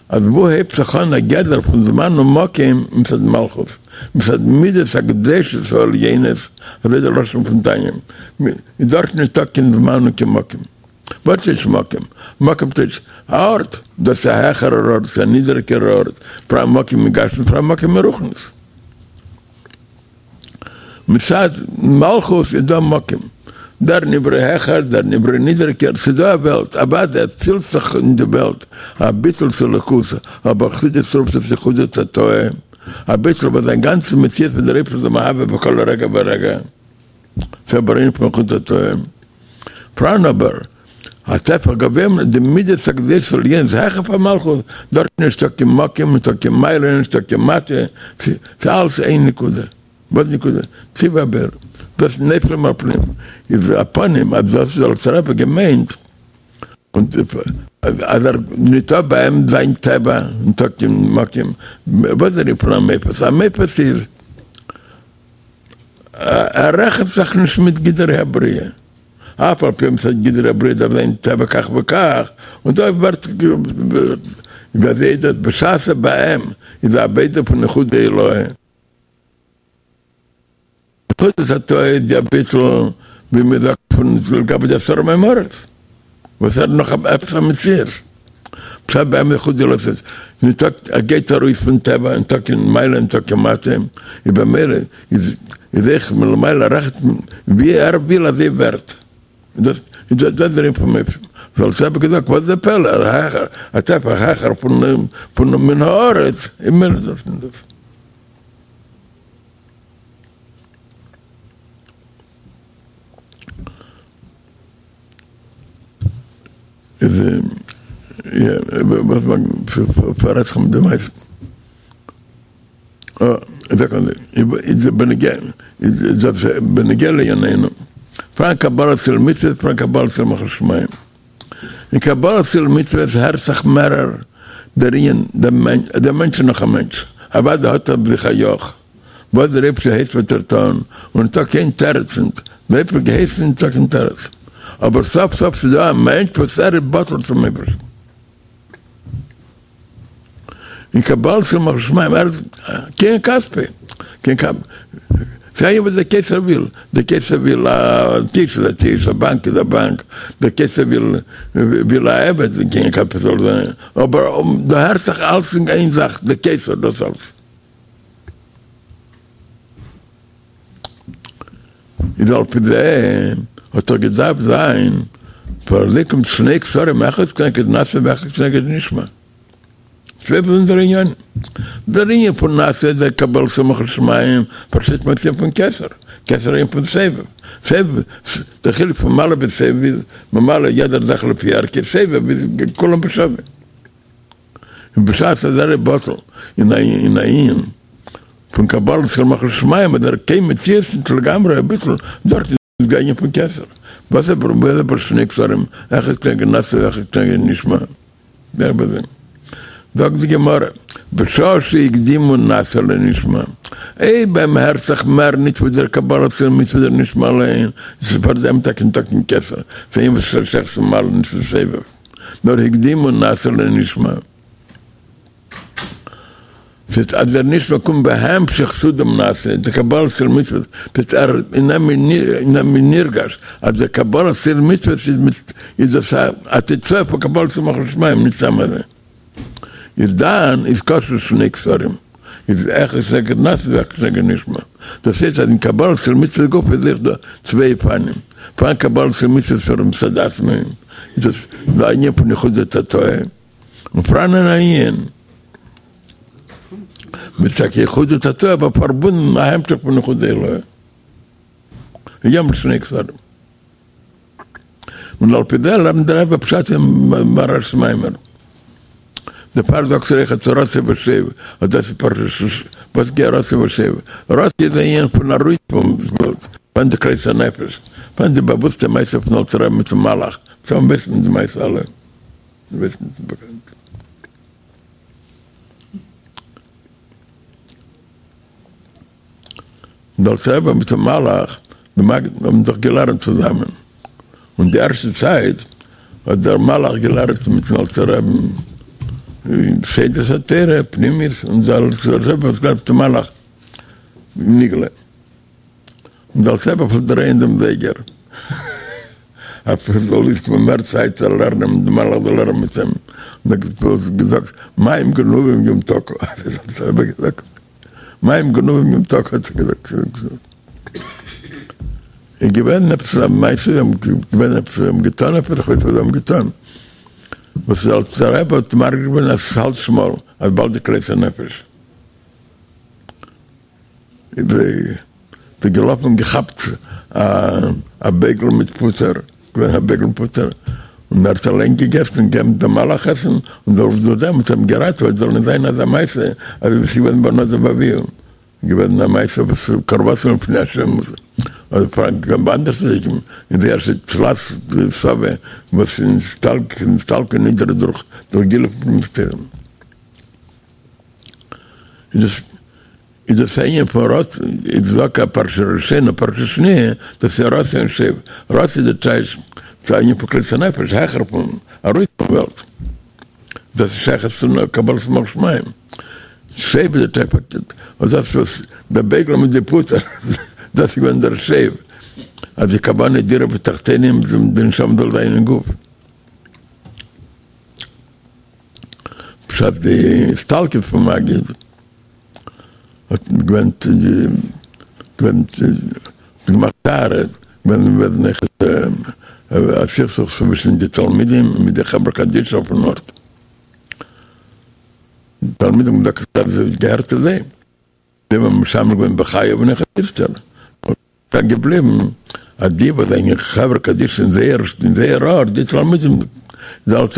אז וואו הייבט זיך אן א גדר פון זמן ומקום מצד מלכות, מצד מידות הקדושות העליונות, אזוי דער לשון פון תניא, איז דארט נישטא קיין זמן און קיין מקום. וואס איז מקום? מקום טייטש א ארט, דאס איז א העכערער ארט, ס'איז א נידעריגערער ארט, פאראן מקום אין גשמיות, פאראן מקום אין רוחניות. מצד מלכות איז דא מקום, דער נברא העכער, דער נברא נידעריגער, ס'איז דא א וועלט, אוודאי עס פילט זיך אין די וועלט א ביטול צו אלוקות, אבער חסידות רופט עס יחודא תתאה, א ביטול וואס זיין גאנצע מציאות ווי דער אייבערשטער איז מהווה בכל רגע ורגע, ס'איז אבער ענין פון יחודא תתאה. פאראן אבער א טפח גבוה די מידות הקדושות העליונות העכער פאר מלכות, דארט נישטא קיין מקום, נישטא קיין מעלה, נישטא קיין מטה, ס'איז אלעס איין נקודה, וואס נקודה? ציווי הבורא, דאס איז נופלים על פניהם, איז א פנים אז דאס איז אלטער רבי געמיינט, און אז ער ניטא ביי אים זיין טבע, ניטא קיין מקום, וואס איז דער ענין פון א מופת? א מופת איז ער רעכנט זיך נישט מיט גדרי הבריאה. אף על פי מצד גדרי הבריאה דארף זיין טבע כך וכך, און דא ווערט ווי אזוי איז דאס בשעת ביי אים איז די עבודה פון יחודא עילאה. יחודא תתאה איז די אביסל ווי מען זאגט פון לגבי די עשרה מאמרות וואס ער נאך עפעס א מציאות בשעת ביי אים יחודא עילאה איז ניטא ער גייט ארויס פון טבע ניטא קיין מעלה ניטא קיין מטה איז במילא איז איז אויך מלמעלה רעכנט ווי ער וויל אזוי ווערט דאס איז דאס דער ענין פון מופת דער אלטער רבי געזאגט וואס איז די פלא העכער א טפח העכער פון פון מן הארץ איז מער דאס און דאס. איז וואס מען פאררעדט זיך מיט די מעשה. איז בנוגע איז בנוגע לענייננו. פאראן קבלת עול מצוות פאראן קבלת עול מלכות שמים. אין קבלת עול מצוות הערט זיך מערער דער ענין דער מענטש איז נאך א מענטש אוודאי האט ער ביי זיך א יאך וואס דער אייבערשטער הייסט וועט ער טון און ניטא קיין תירוץ ניט דער אייבערשטער האט געהייסן ניטא קיין תירוץ אבער סוף סוף ס'איז דא א מענטש וואס ער איז בטל צום אייבערשטן אין קבלת עול מלכות שמים ער איז כן כספי כן כ סיי וואס דער קיסר וויל דער קיסר וויל א טיש איז א טיש א באנק איז א באנק דער קיסר וויל וויל א עבד כן כספי זאל זיין אבער דא הערט זיך אלץ אין איין זאך דער קיסר דאס אלץ. איז על פי זה האט דאך געדארפט זיין פארוואס קומט שני כתרים אחד כנגד נעשה ואחד כנגד נשמע. צוויי באזונדערע ענינים. דער ענין פון נעשה דער קבלת עול מלכות שמים פארשטייט מען ענין פון כתר, כתר ענין פון סובב, סובב, דער חילוק פון ממלא ביז סובב איז ממלא יעדער זאך לפי ערכו, סובב איז כולם בשווה. און בשעת אז ער איז בטל אין א ענין פון קבלת עול מלכות שמים אז ער קיין מציאות נישט לגמרי אביסל דארט איז דער ענין פון כתר וואס איז אבער שני כתרים אחד כנגד נעשה ואחד כנגד נשמע דער בזה זאגט די גמרא בשעה שהקדימו נעשה לנשמע אויב ביי אים הערט זיך מער נישט ווי דער קבלת עול מצוות דער נשמע אליין איז פאר דעם טאקע ניטא קיין כתר ס'איז וואס שייך צו ממלא נישט צו סובב. נאר הקדימו נעשה לנשמע. ס'הייסט אז דער נשמע קומט בהמשך צו דעם נעשה, די קבלת עול מצוות, ס'הייסט ער אין אים איז נרגש אז די קבלת עול מצוות איז מיט איז דאס א תוצאה פון קבלת עול מלכות שמים, נישט סתם אזוי. איז דאן איז כשר שני כתרים, איז אחד כנגד נעשה ואחד כנגד נשמע. דאס הייסט אז אין קבלת עול מצוות גופא איז אויך דא צוויי אופנים, פאראן קבלת עול מצוות מצד עצמו, איז דאס די ענין פון יחודא תתאה, און פאראן אן ענין מיט טאקע יחודא תתאה אבער פארבונדן א המשך פון יחודא עילאה, יש שני כתרים. און על פי זה לערנט דער רבי פשט אין מהר"ש'ס מאמר. דערפאר זאגט ער אויכעט רצוא ושוב, אז דאס איז פרשת וואס גייט רצוא ושוב. רצוא איז א ענין פון ארויס פון וועלט, פון די כלות הנפש, פון די באוואוסטע מעשה פון אלטער רבי מיטן מלאך, צו וויסן די מעשה אלע וויסן ס'איז באקאנט. דער אלטער רבי מיטן מלאך, די מגיד האבן זיך געלערנט צוזאמען, און די ערשטע צייט האט דער מלאך געלערנט מיטן אלטער רבי'ן סודות התורה, פנימיות, און דער אלטער רבי האט געלערנט מיטן מלאך נגלה, און דער אלטער רבי פלעגט דרייען דעם זייגער אז עס זאל אויסקומען מער צייט צו לערנען מיט דעם מלאך זאל לערנען מיט אים, און ער האט געזאגט מים גנובים ימתקו, האט דער אלטער רבי געזאגט. מים גנובים ימתקו האט ער געזאגט. איז געווען עפעס א מעשה, זיי האבן געווען עפעס, זיי האבן געטאן עפעס, איך ווייס וואס זיי האבן געטאן, וואס דער אלטער רבי האט מרגיש געווען אז עס האלט שמאל, אז באלד די כלות הנפש. איז זיי געלאפן און געכאפט א בייגל מיט פוטער, געווען א בייגל מיט פוטער, און ער האט אליין געגעסן און געגעבן דעם מלאך עסן, און דורך דעם האט ער אים געראטעוועט זאל נישט זיין אזא מעשה אזוי ווי ס'איז געווען ביי נדב ואביהוא, געווען א מעשה וואס קרבתם לפני השם, אדער פאר גאנץ אנדערע צדיקים, אין די ערשטע תלת סבי וואס איז נסתלקו נדרי דורך גילוי פון מסתרים. איז דאס איז דאס א ענין פון רצוא, איז דוקא פרשה ראשונה פרשה שניה, דאס איז רצוא און שוב, רצוא איז די טייטש צו א ענין פון כלות הנפש, העכער פון, ארויס פון וועלט, דאס איז שייכות צו קבלת עול מלכות שמים, שוב איז די טייטש פארקערט, און דאס וואס דער בייגל מיט די פוטער, דאס איז געווען דער שוב, אז די כוונה דירה בתחתונים, די נשמה זאל זיין אין גוף. בשעת די הסתלקות פון מגיד האט געווען געווען געמאכט טהרה געווען ווען איך א סכסוך צווישן די תלמידים מיט די חברה קדישא אויפן ארט, די תלמידים האבן געזאגט אז עס געהערט צו זיי. זיי האבן משמש געווען בחייו און אויך איצטער איז געבליבן אז די וואס זענען חברה קדישא אין זייער אין זייער ארט די תלמידים. איז אלץ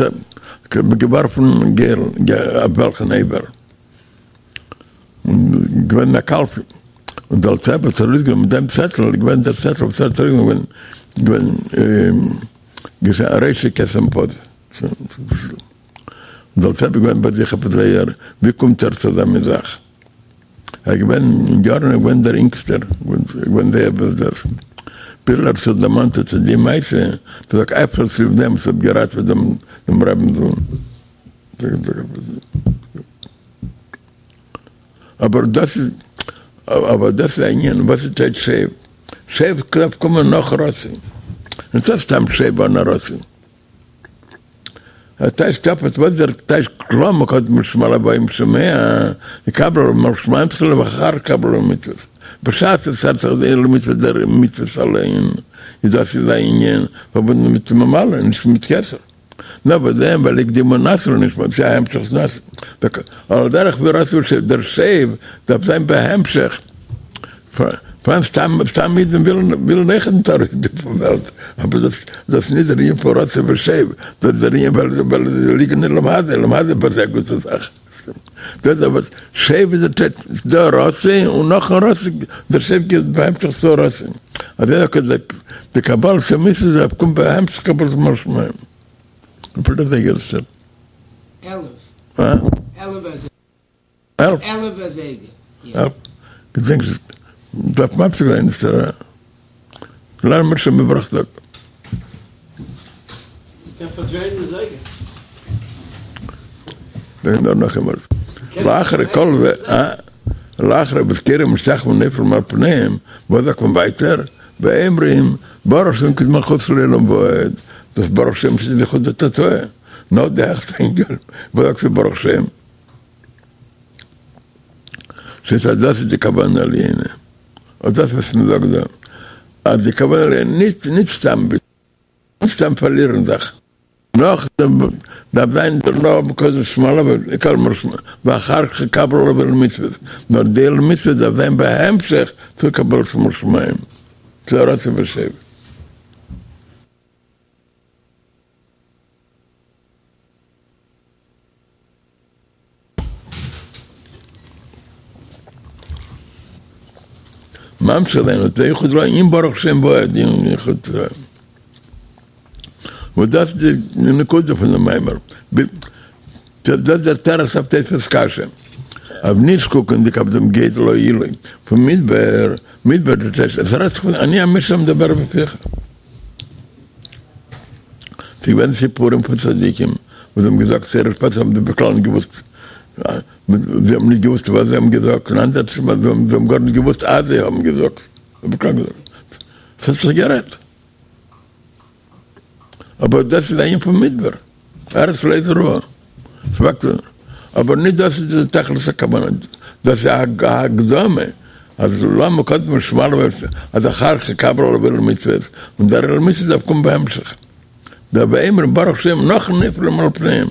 געווארפן גורל אויף וועלכן אבר. און געווען א קלפי, און דער אלטער רבי האט ארויסגענומען דעם צעטל, איז געווען דער צעטל וואס ער האט ארויסגענומען געווען געווען ראשו כתם פז, און דער אלטער רבי איז געווען ביי זיך עפעס זייער, ווי קומט ער צו אזא מין זאך, ער איז געווען אין יארן ער איז געווען דער אינגסטער, געווען זייער וואס דאס, ביז ער האט זיך דערמאנט אט די מעשה, זאגט אפשר צוליב דעם וואס האט געראטעוועט דעם רבינ'ס זון. אבער דאס איז אבער דאס איז א ענין וואס איז טייטש שב? שב דארף קומען נאך רצון, נישטא סתם שב אן א רצון. א טייטש תפס וואס דער טייטש למה קדמו שמע לבאים שומע יקבל עליו עול שמים תחילה ואחר קבלה עול מצוות בשעת עס הערט זיך די עול מצוות דער מצוות אליין איז דאס איז א ענין פארבונדן מיט ממלא נישט מיט כתר. נאר ביי דעם ווייל הקדימו נעשה לנשמע ס'איז א המשך נעשה על דרך ווי רצוא ושוב דער שב דארף זיין בהמשך פארהאן סתם סתם אידן ווילן ווילן אויכעט נישט ארויסגיין פון וועלט אבער דאס דאס נישט דער ענין פון רצוא ושוב דאס דער ענין ווייל ווייל זיי ליגן אין עולם הזה עולם הזה איז א גוטע זאך דאס אבער שב איז דער טייטש דער רצוא און נאכן רצוא דער שב גייט בהמשך צו רצוא. אזוי אויך איז די קבלת המצוות דארף קומען בהמשך קבלת עול שמים. וויפיל דער זייגער איז?
11.
אה?
11 אזייגער.
11?
11 אזייגער, יא.
געדענק נישט. דארף מפסיק זיין אפשר א. לערן מיר שוין מ'ברויך דארט.
מ'קען פארדרייען די זייגער.
זאג נאר נאכאמאל. לאחרי כל זה, אה? לאחרי ובזכירים משתחווים ונופלים על פניהם, וואס זאגט מען ווייטער? ואומרים, ברוך שם כבוד מלכותו לעולם ועד, דאס ברוך שם איז יחודא תתאה, נאר די העכסטע ענין, וואס זאגסטו ברוך שם? ס'הייסט אז דאס איז די כוונה עליונה, אט דאס וואס מען זאגט דא, אז די כוונה עליונה, נישט נישט סתם נישט סתם פארלירן זיך. נאכדעם דארף זיין דערנאך קודם שמע ואחר כך קבלה עול מצוות, נאר די עול מצוות דארף זיין בהמשך צו קבלת עול שמים, צו רצוא ושוב. ממשיך זיין אט די יחוד רע אין ברוך שם ועד אין יחוד רע. וואס דאס איז די נקודה פון דעם מאמר. דאס איז דער תירוץ אויף תוספות קשיא. אויף נישט קוקנדיג אויף דעם גודל העילוי פון מדבר, מדבר דאס הייסט עס רעדט זיך פון אני המשנה המדבר בפיך. ס'איז געווען סיפורים פון צדיקים וואס האבן געזאגט תורה שפעטער האבן זיי בכלל נישט געוואוסט, זיי האבן נישט געוואוסט וואס זיי האבן געזאגט, און אנדערע זיי האבן גארנישט געוואוסט אז זיי האבן געזאגט, ס'האט זיך גערעדט. אבער דאס איז א ענין פון מדבר, ארץ לא זרועה, אבער נישט דאס איז די תכלית הכוונה, דאס איז א הקדמה, אז למה קודם שמע אז אחר כך קבלה עול מצוות, און דער עול מצוות דארף קומען בהמשך. דער ואומרים ברוך שם נאכן נופלים על פניהם.